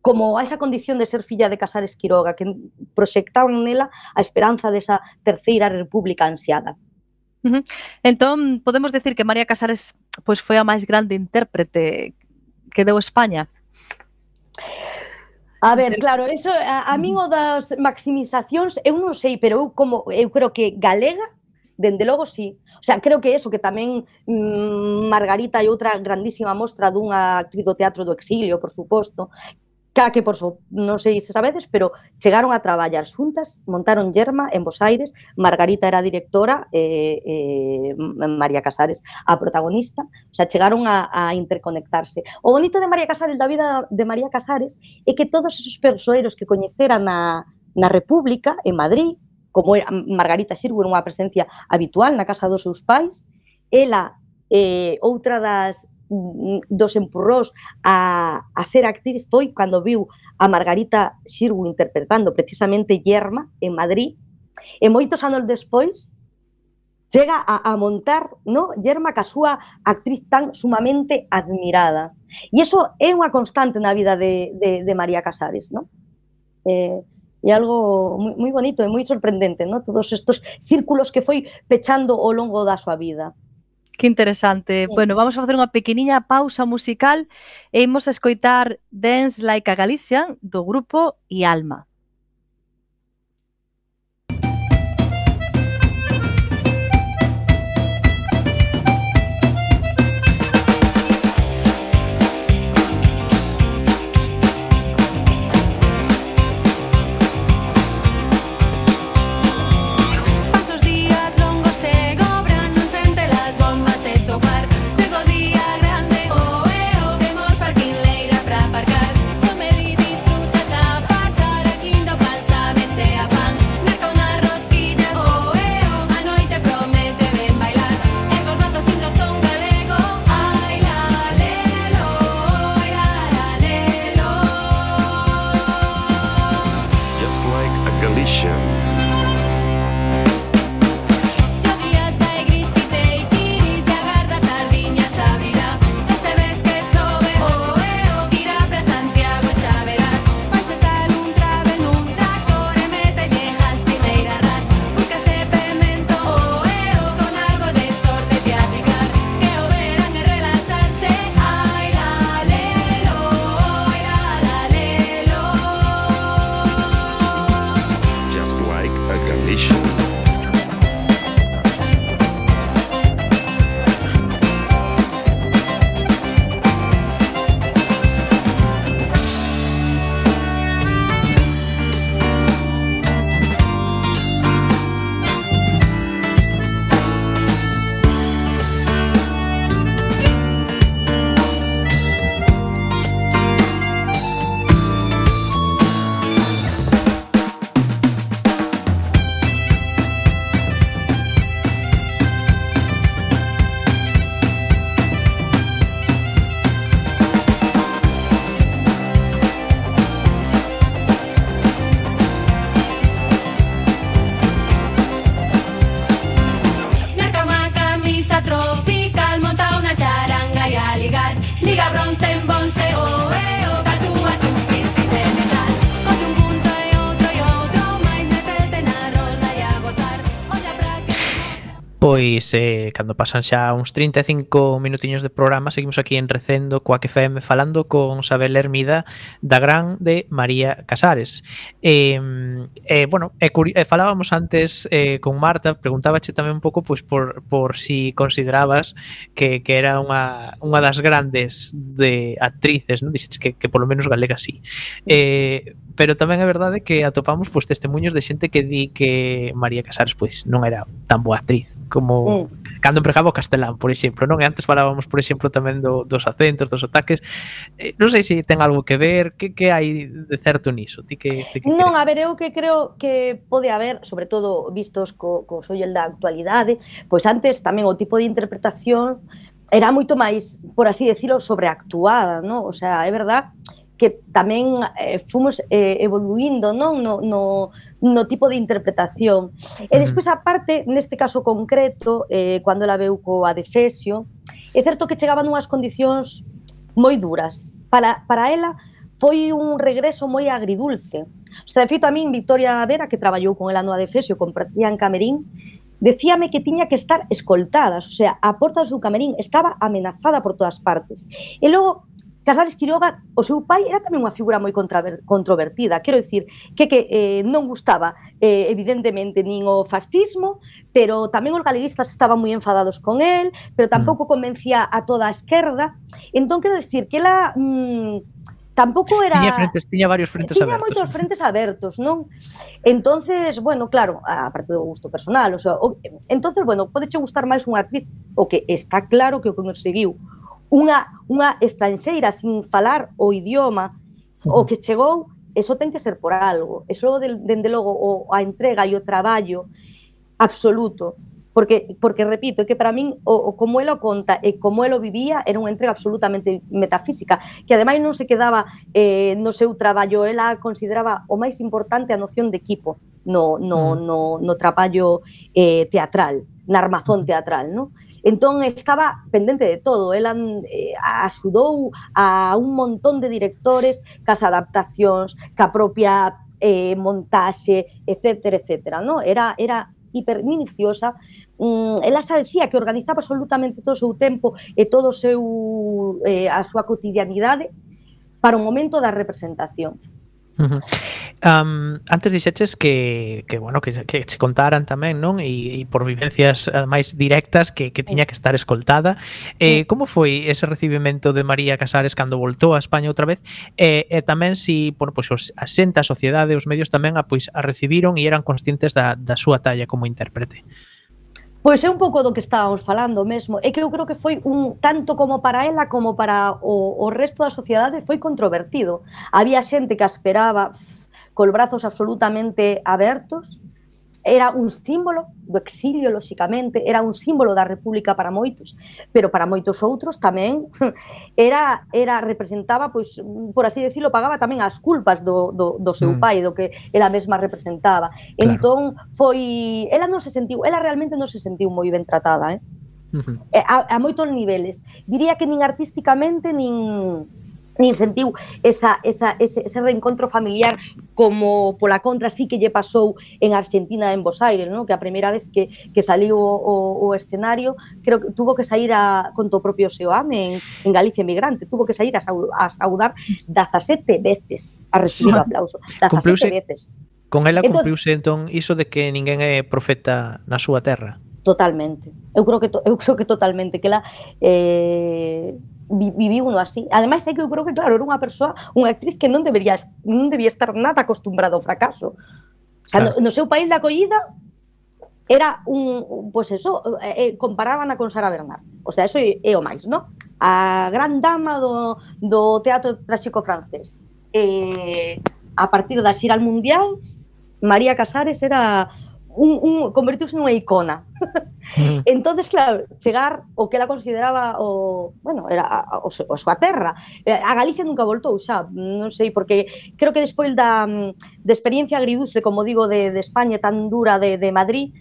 como a esa condición de ser filla de Casares Quiroga, que proxectaban nela a esperanza desa terceira república ansiada. Uh-huh. Entón, podemos decir que María Casares pois foi a máis grande intérprete que deu España? A ver, claro, eso a, a min o das maximizacións, eu non sei, pero eu como eu creo que galega, dende logo sí. O sea, creo que eso, que tamén mmm, Margarita é outra grandísima mostra dunha actriz do teatro do exilio, por suposto, ca que, por so, non sei se sabedes, pero chegaron a traballar xuntas, montaron Yerma en Bos Aires, Margarita era a directora, e eh, eh, María Casares a protagonista, o sea, chegaron a, a interconectarse. O bonito de María Casares, da vida de María Casares, é que todos esos persoeiros que coñecera na, na República, en Madrid, como era Margarita Xirgu, era unha presencia habitual na casa dos seus pais, ela, eh, outra das dos empurrós a, a ser actriz foi cando viu a Margarita Xirgu interpretando precisamente Yerma en Madrid, e moitos anos despois chega a, a montar, no, Yerma ca súa actriz tan sumamente admirada. E iso é unha constante na vida de, de, de María Casares, no? Eh, É algo moi, moi bonito e moi sorprendente, ¿no? Todos estos círculos que foi pechando ao longo da súa vida. Que interesante. Sí. Bueno, vamos a facer unha pequeniña pausa musical e imos a escoitar Dance Like a Galician do grupo Ialma. Pois, eh, cando pasan xa uns trinta e cinco minutiños de programa, seguimos aquí en Recendo coa F M falando con Sabel Hermida da gran de María Casares. Eh, eh, bueno, eh, eh, falábamos antes eh, con Marta, preguntábache tamén un pouco pois, por, por si considerabas que, que era unha, unha das grandes de actrices, non? Dixeches que, que polo menos galega sí. Eh, pero tamén é verdade que atopamos pois, testemunhos de xente que di que María Casares pois, non era tan boa actriz como mm. cando empregaba o castelán, por exemplo, non? E antes falábamos, por exemplo, tamén do, dos acentos, dos sotaques. Eh, non sei se ten algo que ver, que, que hai de certo niso? Ti que, ti que non, crees? a ver, eu que creo que pode haber, sobre todo vistos co, co sollo da actualidade, pois antes tamén o tipo de interpretación era moito máis, por así decirlo, sobreactuada, non? O sea, é verdad que tamén eh, fomos eh, evoluindo, non? No, no, no tipo de interpretación. E despois, aparte, neste caso concreto, eh, cando ela veu coa Adefesio, é certo que chegaban unhas condicións moi duras. Para, para ela foi un regreso moi agridulce. O sea, de feito, a min, Victoria Vera, que traballou con ela no Adefesio, compartían camerín, decíame que tiña que estar escoltadas, o sea, a porta do seu camerín estaba amenazada por todas partes. E logo, Casares Quiroga, o seu pai era tamén unha figura moi controvertida, quero dicir que, que eh, non gustaba eh, evidentemente nin o fascismo, pero tamén os galeguistas estaban moi enfadados con el, pero tampouco convencía a toda a esquerda. Entón quero dicir que ela mmm, tampouco era... Tiña, frentes, tiña varios frentes tiña abertos. Tiña moitos frentes abertos, non? Entonces, bueno, claro, aparte do gusto personal, o sea, o, entonces, bueno, podeche gustar máis unha actriz, o que está claro que o que conseguiu unha, unha estranxeira sin falar o idioma, uh-huh. o que chegou, eso ten que ser por algo. Eso, dende logo, o, a entrega e o traballo absoluto. Porque, porque repito, que para min, o, o como ela o conta e como ela o vivía, era unha entrega absolutamente metafísica, que ademais non se quedaba eh, no seu traballo, ela consideraba o máis importante a noción de equipo no, no, uh-huh. no, no traballo eh, teatral, na armazón teatral, non? Entón, estaba pendente de todo. Ela eh, axudou a un montón de directores cas adaptacións, ca propia eh, montaxe, etcétera, etcétera, no? Era, era hiperminiciosa. Mm, ela xa decía que organizaba absolutamente todo o seu tempo e todo o seu, eh, a súa cotidianidade para o momento da representación. Uh-huh. Um, antes dixeches que, que bueno, que, que se contaran tamén, non? E, e por vivencias máis directas que, que tiña que estar escoltada. Eh, como foi ese recibimento de María Casares cando voltou a España outra vez? E, e tamén si, bueno, pois os, a xente, a sociedade, os medios tamén a, pois, a recibiron e eran conscientes da, da súa talla como intérprete. Pois é un pouco do que estábamos falando mesmo. É que eu creo que foi un tanto como para ela como para o, o resto da sociedade foi controvertido. Había xente que a esperaba pff, col brazos absolutamente abertos. Era un símbolo do exilio, lóxicamente, era un símbolo da República para moitos, pero para moitos outros tamén era, era representaba, pois, por así decirlo, pagaba tamén as culpas do, do, do seu pai, do que ela mesma representaba. Claro. Entón, foi... Ela non se sentiu, ela realmente non se sentiu moi ben tratada, eh? Uh-huh. A, a moitos niveles. Diría que nin artísticamente, nin... nin sentiu esa, esa, ese, ese reencontro familiar como pola contra sí que lle pasou en Argentina, en Buenos Aires, ¿no? Que a primeira vez que, que saliu o, o escenario, creo que tuvo que sair a, con o propio Seoame en, en Galicia Emigrante, tuvo que sair a, saud, a saudar dezasete veces a recibir o aplauso, dezasete veces. Con ela cumpriuse entón iso de que ninguén é profeta na súa terra. Totalmente. Eu creo que, to, eu creo que totalmente, que ela... Eh, viviu uno así. Ademais, é que eu creo que, claro, era unha persoa, unha actriz que non debería, non debía estar nada acostumbrada ao fracaso. O sea, claro. no, no seu país de acollida era un, pois pues eso, eh, comparaban a con Sara Bernard. O sea, eso é, é o máis, non? A gran dama do, do teatro tráxico francés. Eh, a partir das xiras mundiais, María Casares era... Un, un, convertiuse nunha icona. Mm. Entonces, claro, chegar o que ela consideraba o, bueno, era a, a, a súa terra. A Galicia nunca voltou xa, non sei, porque creo que despois da de experiencia agridulce, como digo, de, de España tan dura de, de Madrid,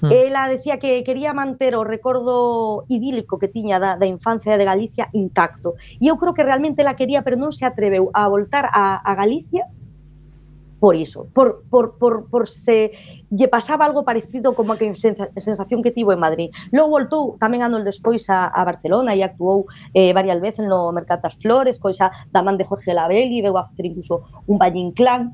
mm. ela decía que quería manter o recordo idílico que tiña da, da infancia de Galicia intacto. E eu creo que realmente ela quería, pero non se atreveu a voltar a, a Galicia por iso, por, por, por, por se lle pasaba algo parecido como a que sensa, sensación que tivo en Madrid. Logo voltou tamén anos despois a, a Barcelona e actuou eh, varias veces no Mercat das Flores, coisa da man de Jorge Labelli, veu a facer incluso un Valle Inclán,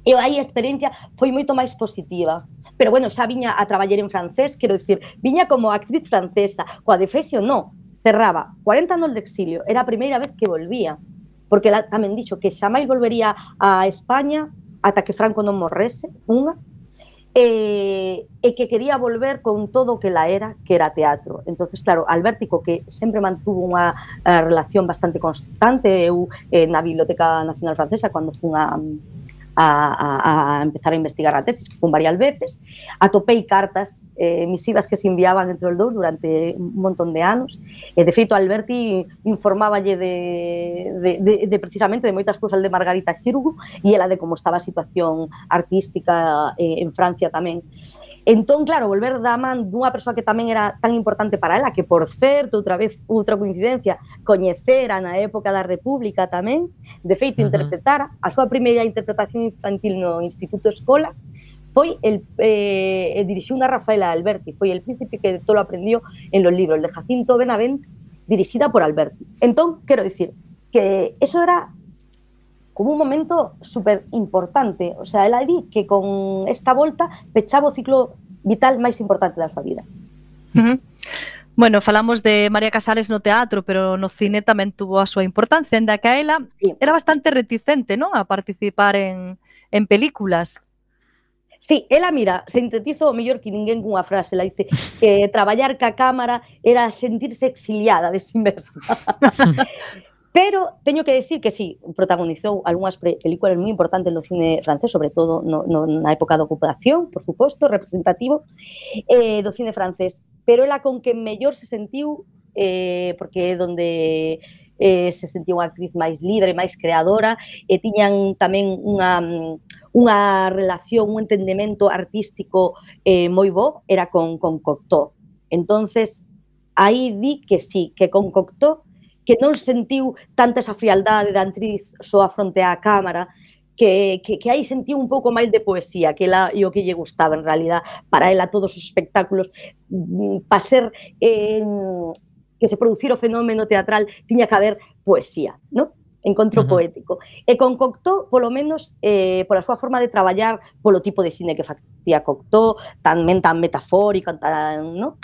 e aí a experiencia foi moito máis positiva. Pero bueno, xa viña a traballar en francés, quero dicir, viña como actriz francesa, coa de Fesio non, cerraba cuarenta anos de exilio, era a primeira vez que volvía, porque ela tamén dixo que xa máis volvería a España ata que Franco non morrese, unha, e, e que quería volver con todo o que la era, que era teatro. Entonces, claro, Albértico, que sempre mantuvo unha uh, relación bastante constante, eu eh, na Biblioteca Nacional Francesa, cando fun a, a, a, a empezar a investigar a tesis, que fun varias veces, atopei cartas eh, misivas que se enviaban entre os dous durante un montón de anos, e de feito Alberti informáballe de, de, de, de precisamente de moitas cousas de Margarita Xirgu e ela de como estaba a situación artística eh, en Francia tamén. Entón, claro, volver da man dunha persoa que tamén era tan importante para ela, que, por certo, outra vez, outra coincidencia, coñecera na época da República tamén, de feito, uh-huh. interpretara, a súa primeira interpretación infantil no Instituto Escola, foi el, eh, dirixiu unha Rafaela Alberti, foi El príncipe que todo lo aprendió en los libros, de Jacinto Benavente, dirixida por Alberti. Entón, quero dicir, que eso era como un momento super importante, o sea, ela di que con esta volta pechaba o ciclo vital máis importante da súa vida. Uh-huh. Bueno, falamos de María Casares no teatro, pero no cine tamén tuvo a súa importancia, ainda que a ela sí. era bastante reticente, non, a participar en, en películas. Sí, ela, mira, sintetizo o mellor que ninguén cunha frase, ela dice que traballar ca cámara era sentirse exiliada de si mesma. Pero teño que decir que sí, protagonizou algunhas películas moi importantes no cine francés, sobre todo no, no, na época da ocupación, por suposto, representativo, eh, do cine francés. Pero ela con que mellor se sentiu, eh, porque é donde eh, se sentiu unha actriz máis libre, máis creadora, e tiñan tamén unha, unha relación, un entendemento artístico eh, moi bo, era con, con Cocteau. Entonces, aí di que sí, que con Cocteau que non sentiu tanta esa frialdade da actriz soa fronte á cámara, que, que, que aí sentiu un pouco máis de poesía, que ela e o que lle gustaba en realidad. Para ela todos os espectáculos, para ser eh, que se producir o fenómeno teatral, tiña que haber poesía, non? Encontro uh-huh. poético. E con Cocteau, polo menos, eh, pola súa forma de traballar, polo tipo de cine que facía Cocteau, tamén tan metafórico, tan, ¿no?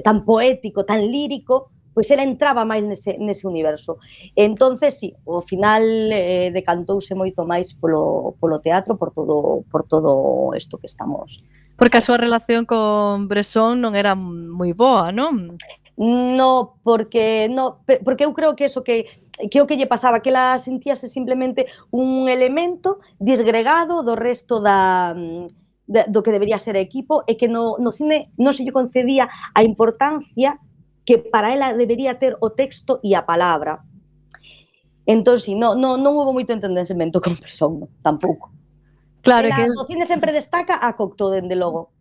tan poético, tan lírico, pois ela entraba máis nese, nese universo. Entonces, sí, ao final eh, decantouse moito máis polo, polo teatro, por todo, por todo isto que estamos... Porque a súa relación con Bresson non era moi boa, non? No, porque no, porque eu creo que eso que que o que lle pasaba, que ela sentíase simplemente un elemento disgregado do resto da de, do que debería ser equipo, e que no, no cine non se lle concedía a importancia que para ela debería ter o texto e a palabra. Entón, si, non, non, non houve moito entendemento con Bresson, tampouco. Claro, ela, que o cine sempre destaca a Cocteau, dende logo.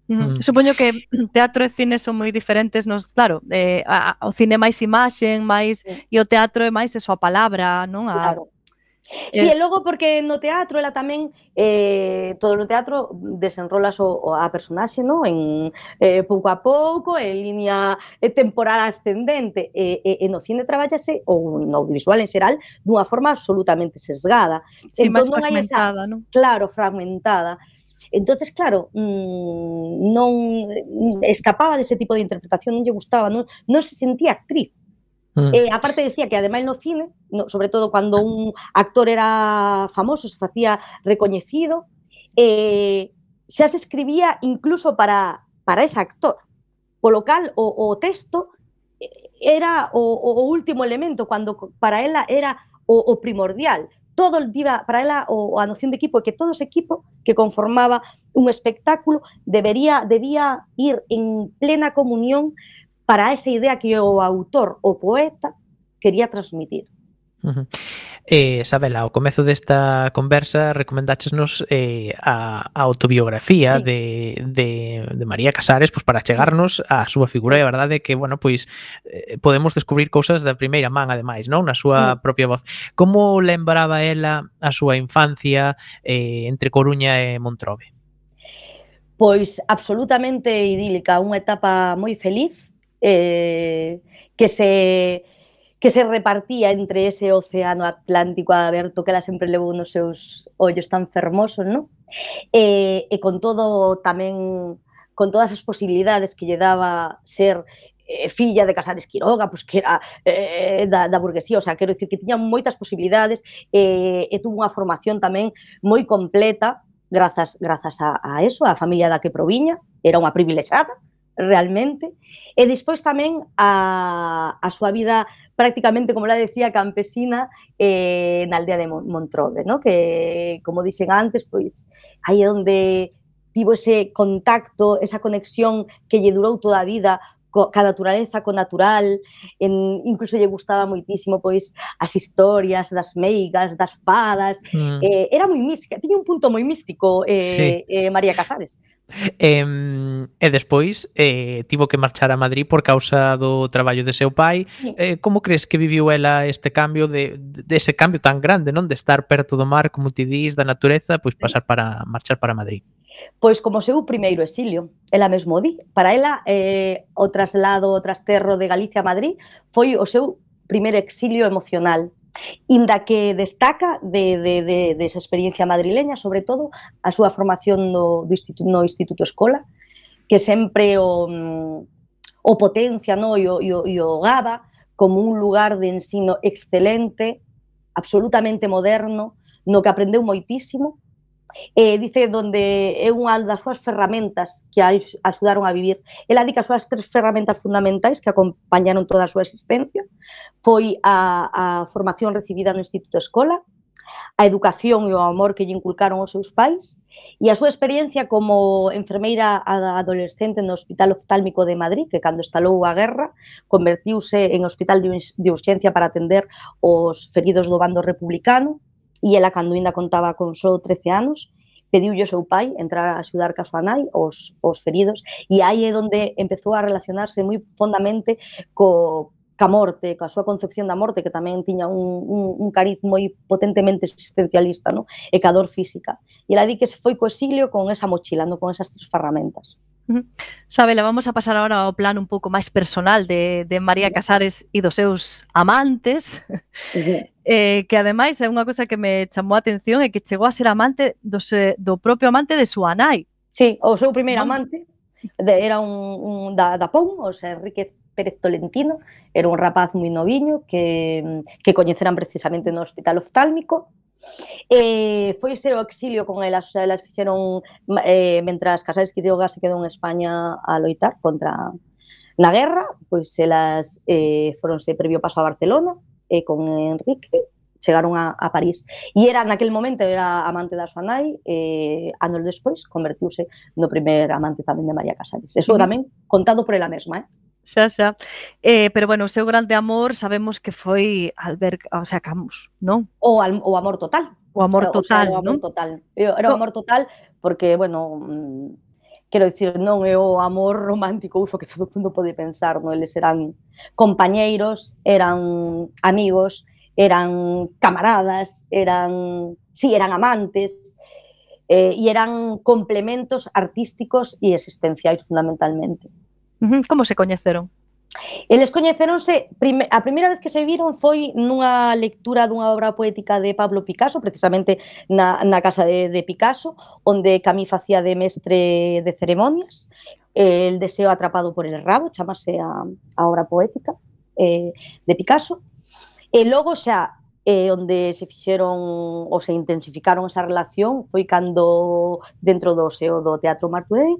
Uh-huh. Mm. Supoño que teatro e cine son moi diferentes, nos, claro, eh, a, a, o cine máis imaxen, máis sí. e o teatro é máis eso, a palabra, non? A, claro. Sí, e logo porque no teatro ela tamén eh, todo no teatro desenrolas o, o a personaxe, non? En eh, pouco a pouco, en línea temporal ascendente, e, e, e no cine traballase, ou no audiovisual en xeral, dunha forma absolutamente sesgada. Sí, entón, máis fragmentada, esa, non? Claro, fragmentada. Entonces, claro, mmm, non escapaba dese tipo de interpretación, non lle gustaba, non, non se sentía actriz. Mm. Eh, aparte decía que ademais no cine, no, sobre todo cando un actor era famoso, se facía recoñecido, eh, xa se escribía incluso para, para ese actor, polo cal o, o texto era o, o último elemento, cando para ela era o, o primordial. Todo el día, para ela o, a noción de equipo é que todo ese equipo que conformaba un espectáculo debería, debía ir en plena comunión para esa idea que o autor, o poeta, quería transmitir. Uh-huh. Eh, Sabela, ao comezo desta conversa recomendáchesnos eh, a, a autobiografía Sí. de, de, de María Casares pois para chegarnos á súa figura Sí. e a verdade é que, bueno, pois eh, podemos descubrir cousas da primeira man, ademais, non? Na súa Mm. propia voz. Como lembraba ela a súa infancia eh, entre Coruña e Montrobe? Pois absolutamente idílica, unha etapa moi feliz, eh, que se que se repartía entre ese océano Atlántico aberto que ela sempre levou nos seus ollos tan fermosos, non? E, e con todo tamén, con todas as posibilidades que lle daba ser eh, filla de Casares Quiroga, pois que era eh, da, da burguesía, o sea, quero dicir que tiña moitas posibilidades eh, e tuvo unha formación tamén moi completa grazas, grazas a, a eso, a familia da que proviña, era unha privilexiada, realmente, e despois tamén a, a súa vida prácticamente, como la decía, campesina eh, na aldea de Montrobe, ¿no? Que, como dixen antes, pois aí é onde tivo ese contacto, esa conexión que lle durou toda a vida co, ca naturaleza, co natural, en, incluso lle gustaba moitísimo pois as historias das meigas, das fadas, Mm. eh, era moi mística, tiña un punto moi místico eh, Sí. eh, María Casares. E, e despois eh, tivo que marchar a Madrid por causa do traballo de seu pai. Sí. Eh, como crees que viviu ela este cambio de, de ese cambio tan grande, non? De estar perto do mar, como ti dís, da natureza, pois pasar para marchar para Madrid. Pois como seu primeiro exilio, ela mesmo di. Para ela, eh, o traslado, o trasterro de Galicia a Madrid foi o seu primeiro exilio emocional. Inda que destaca de, de, de, de esa experiencia madrileña, sobre todo, a súa formación no, do instituto, no Instituto Escola, que sempre o, o potencia, no, e, o, e, o, e o gaba como un lugar de ensino excelente, absolutamente moderno, no que aprendeu moitísimo. Eh, dice donde é unha das súas ferramentas que a axudaron a vivir. Ela di que as súas tres ferramentas fundamentais que acompañaron toda a súa existencia foi a, a formación recibida no Instituto Escola, a educación e o amor que lle inculcaron os seus pais e a súa experiencia como enfermeira adolescente no Hospital Oftálmico de Madrid, que cando estalou a guerra convertiuse en hospital de urxencia para atender os feridos do bando republicano. E ela, cando ainda contaba con só trece anos, pediulle ao seu pai entrar a axudar ca súa nai os, os feridos, e aí é onde empezou a relacionarse moi fondamente co, ca morte, coa súa concepción da morte, que tamén tiña un, un, un cariz moi potentemente existencialista, no? E ca dor física. E ela di que se foi co exilio con esa mochila, no? Con esas tres ferramentas. Uh-huh. Sabela, vamos a pasar agora ao plano un pouco máis personal de, de María Casares e dos seus amantes, uh-huh. eh, que ademais é unha cosa que me chamou a atención é que chegou a ser amante do, se, do propio amante de súa nai. Sí, o seu primeiro amante de, era un, un da, da Pon, o sea, Enrique Pérez Tolentino, era un rapaz moi noviño que, que coñeceran precisamente no Hospital Oftálmico. Eh, foi ser o exilio con elas, elas fixeron eh, mentras Casares Quiroga se quedou en España a loitar contra na guerra, pois elas eh, foronse previo paso a Barcelona e eh, con Enrique chegaron a, a París. E era, naquel momento, era amante da súa nai, e eh, anos despois convertiuse no primer amante tamén de María Casares. Eso uh-huh. tamén contado por ela mesma, eh? Xa, xa. Eh, pero, bueno, o seu grande amor sabemos que foi Albert, o sea, Camus, non? O, al, o amor total. O amor total, o sea, o amor non? total. Era o amor total porque, bueno, quero dicir, non é o amor romántico uso que todo o mundo pode pensar, non? Eles eran compañeiros, eran amigos, eran camaradas, eran, sí, eran amantes, eh, e eran complementos artísticos e existenciais fundamentalmente. Como se coñeceron? Eles coñeceronse, prime, a primeira vez que se viron foi nunha lectura dunha obra poética de Pablo Picasso, precisamente na, na casa de, de Picasso, onde Camille facía de mestre de ceremonias, eh, El deseo atrapado por el rabo, chamase a, a obra poética eh, de Picasso, e logo xa eh, onde se fixeron ou se intensificaron esa relación foi cando dentro do seo do Teatro Martorell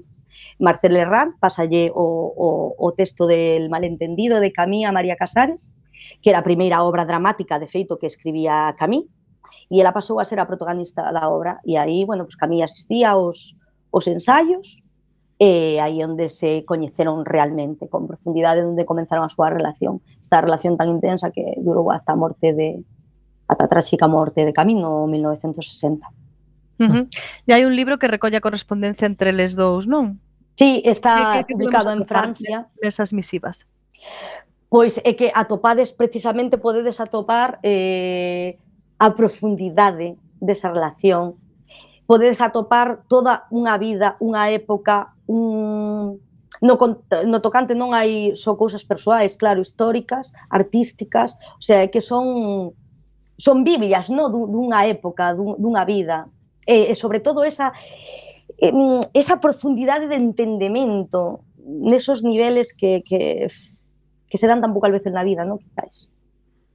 Marcel Herrán pasalle o, o, o texto del malentendido de Camille a María Casares, que era a primeira obra dramática de feito que escribía Camille, e ela pasou a ser a protagonista da obra, e aí, bueno, pues Camille asistía aos, aos ensaios, e aí onde se coñeceron realmente, con profundidade, onde comenzaron a súa relación, esta relación tan intensa que durou hasta a morte de ata a tráxica morte de Camín no mil novecentos sesenta. Uh -huh. E hai un libro que recolle a correspondencia entre eles dous, non? Sí, está Que, que, que publicado en Francia. Nesas misivas. Pois é que atopades, precisamente podedes atopar eh, a profundidade desa relación. Podedes atopar toda unha vida, unha época, un... no, no tocante non hai só cousas persoais, claro, históricas, artísticas, o sea, que son son biblias, no, dunha época, dunha vida. E, e sobre todo esa esa profundidade de entendemento nesos niveles que, que, que se dan tan poucas veces na vida, non? Quizás.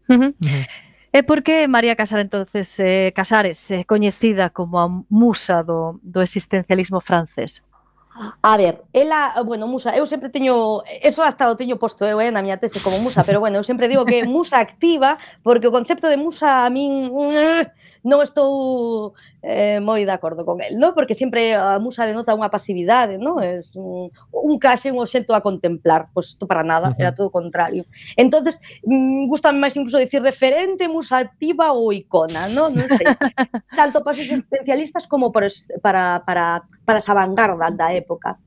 Uh -huh. Uh -huh. E por que María Casares, entonces, eh, Casares é eh, coñecida como a musa do, do existencialismo francés? A ver, ela, bueno, musa, eu sempre teño, eso hasta o teño posto eu, eh, na miña tese como musa, pero bueno, eu sempre digo que musa activa, porque o concepto de musa a min non estou eh, moi de acordo con el, ¿no? Porque sempre a musa denota unha pasividade, ¿no? Es un, un case, un obxecto a contemplar, pois pues isto para nada, era todo o contrario. Entonces, mm, gustame máis incluso dicir referente, musa activa ou icona, ¿no? Non sei. Tanto para os existencialistas como para, para, para, para esa vanguarda da época.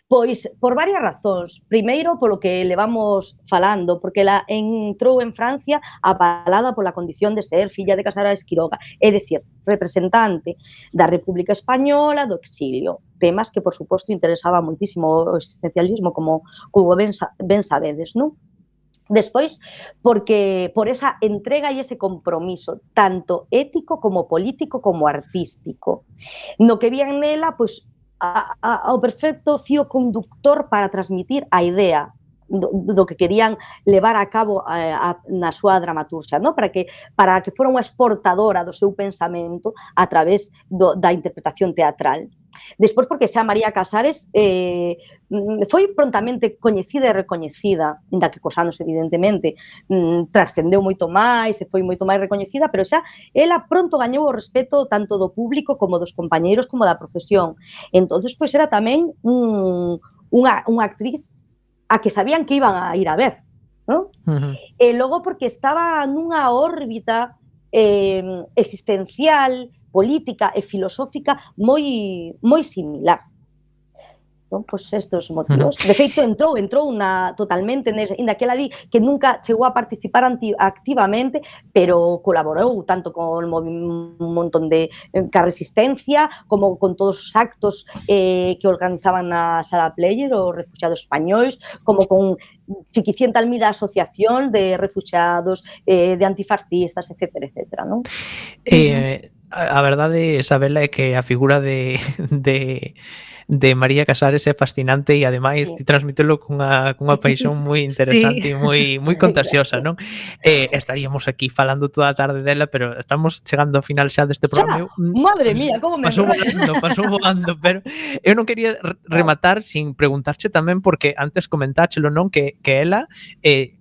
Pois, por varias razóns. Primeiro, polo que levamos falando, porque ela entrou en Francia apalada pola condición de ser filla de Casares Quiroga, é dicir, representante da República Española do exilio. Temas que, por suposto, interesaba moitísimo o existencialismo, como, como ben, ben sabedes, non? Despois, porque por esa entrega e ese compromiso, tanto ético como político como artístico, no que vían nela, pois, A, a, ao perfecto fío conductor para transmitir a idea do, do que querían levar a cabo a, a, na súa dramaturgia, no? para, que, para que fora unha exportadora do seu pensamento a través do, da interpretación teatral. Despois, porque xa María Casares eh, foi prontamente coñecida e recoñecida, ainda que cos anos, evidentemente, mm, trascendeu moito máis, e foi moito máis recoñecida, pero xa ela pronto gañou o respeto tanto do público como dos compañeiros como da profesión. Entonces, pois era tamén un, unha, unha actriz a que sabían que iban a ir a ver, ¿no? Uh-huh. E logo porque estaba nunha órbita eh, existencial, política e filosófica moi moi similar. Entón, pois estes motivos. Uh -huh. De feito, entrou, entrou na, totalmente, ainda que ela di que nunca chegou a participar anti, activamente, pero colaborou tanto con un montón de ca resistencia, como con todos os actos eh, que organizaban na Sala Player, os refugiados españois, como con chiquicientas mil asociación de refugiados, eh, de antifascistas, etcétera, etcétera, non? Eh, a verdade, Isabela, é que a figura de... de... de María Casares é fascinante e ademais sí. transmítelo cunha, cunha paixón moi interesante sí. e moi moi contagiosa, non? Eh, estaríamos aquí falando toda a tarde dela, pero estamos chegando ao final xa deste programa. Eu, madre mía, como me pasou volando, pasou volando, pero eu non quería rematar sin preguntarche tamén, porque antes comentáchelo, non? Que, que ela eh,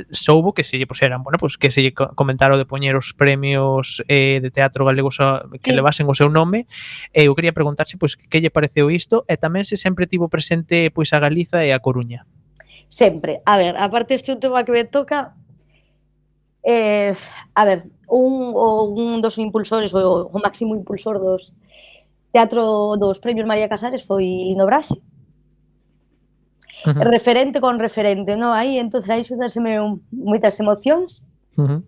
soubo que se lle puseran, bueno, pues que se lle comentaro de poñer os premios eh, de teatro galegos a, que sí. levasen o seu nome. E eu quería preguntarse pois que lle pareceu isto e tamén se sempre tivo presente pois a Galiza e a Coruña. Sempre. A ver, aparte este tema que me toca, eh, a ver, un, o, un dos impulsores, o, o máximo impulsor dos teatro dos premios María Casares foi Lino Brasi. Uh -huh. Referente con referente, non? Aí, entonces, aí xudáseme moitas emocións. Uh -huh.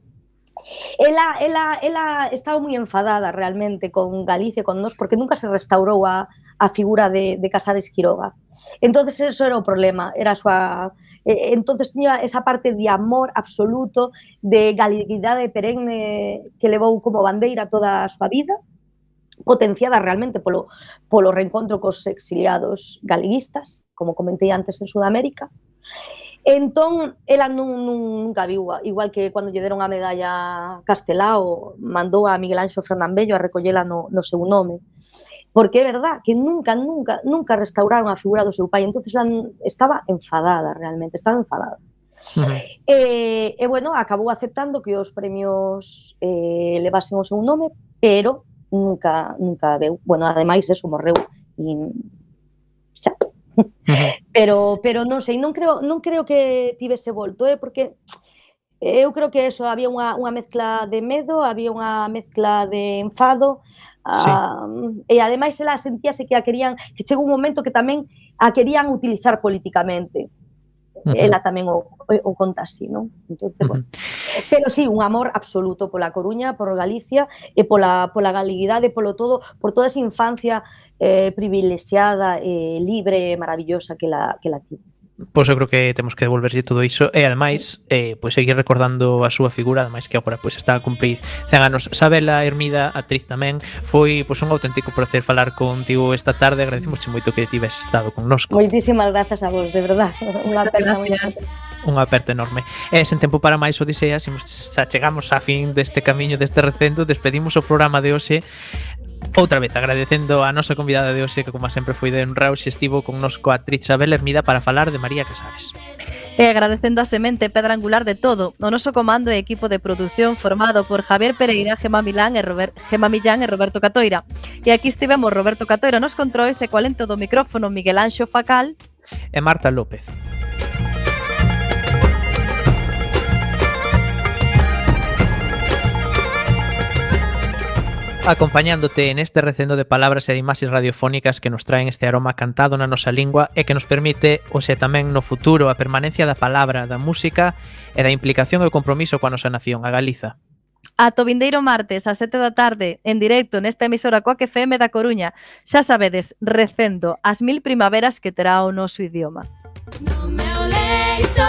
Ela, ela, ela estaba moi enfadada realmente con Galicia, con nós, porque nunca se restaurou a, a figura de, de Casares Quiroga. Entonces, eso era o problema, era a súa... Eh, entonces, tiña esa parte de amor absoluto, de galeguidade perenne que levou como bandeira toda a súa vida, potenciada realmente polo, polo reencontro cos exiliados galeguistas, como comentei antes en Sudamérica. Entón, ela nun, nunca viu, igual que cando lle deron a medalla Castelao, mandou a Miguel Anxo Fernandbello a recollela no, no seu nome. Porque é verdad que nunca, nunca, nunca restauraron a figura do seu pai, entonces ela estaba enfadada realmente, estaba enfadada. Uh -huh. e, e, bueno, acabou aceptando que os premios eh, levasen o seu nome, pero nunca, nunca veu. Bueno, ademais, eso, morreu e xa. Uh -huh. Pero, pero non sei, non creo, non creo que tivese volto, eh, porque eu creo que eso, había unha, unha mezcla de medo, había unha mezcla de enfado, Sí. Uh, e ademais ela sentíase que a querían, que chegou un momento que tamén a querían utilizar políticamente. Uh-huh. Ela tamén o, o conta así, non? Entonces, uh-huh. bueno. Pero sí, un amor absoluto pola Coruña, por Galicia e pola, pola galeguidade, polo todo, por toda esa infancia eh, privilexiada, eh, libre, maravillosa que la, que la tivo. Pois eu creo que temos que devolverlle todo iso e ademais eh, pois seguir recordando a súa figura, ademais que agora pois está a cumprir cen anos. Sabela Hermida, actriz tamén, foi pois un auténtico placer falar contigo esta tarde, agradecimosche moito que tives estado connosco. Moitísimas grazas a vos, de verdad, unha aperta moi grande. Unha aperta enorme. E sen tempo para máis odiseas, xa chegamos a fin deste camiño deste recendo, despedimos o programa de hoxe. Outra vez agradecendo a nosa convidada de hoxe, que como sempre foi de honra, hoxe estivo con nosco a actriz Sabela Hermida para falar de María Casares. E agradecendo a semente pedra angular de todo, o noso comando e equipo de produción formado por Javier Pereira, Gema Milán e Robert, Gema Millán e Roberto Catoira. E aquí estivemos Roberto Catoira nos controis e coa lento do micrófono Miguel Anxo Facal e Marta López. Acompañándote en este recendo de palabras e de imaxes radiofónicas que nos traen este aroma cantado na nosa lingua e que nos permite, ou sea, tamén no futuro, a permanencia da palabra, da música e da implicación e o compromiso coa nosa nación, a Galiza. Ato vindeiro martes ás sete da tarde, en directo nesta emisora Coac F M da Coruña. Xa sabedes, recendo as mil primaveras que terá o noso idioma. No me oleito.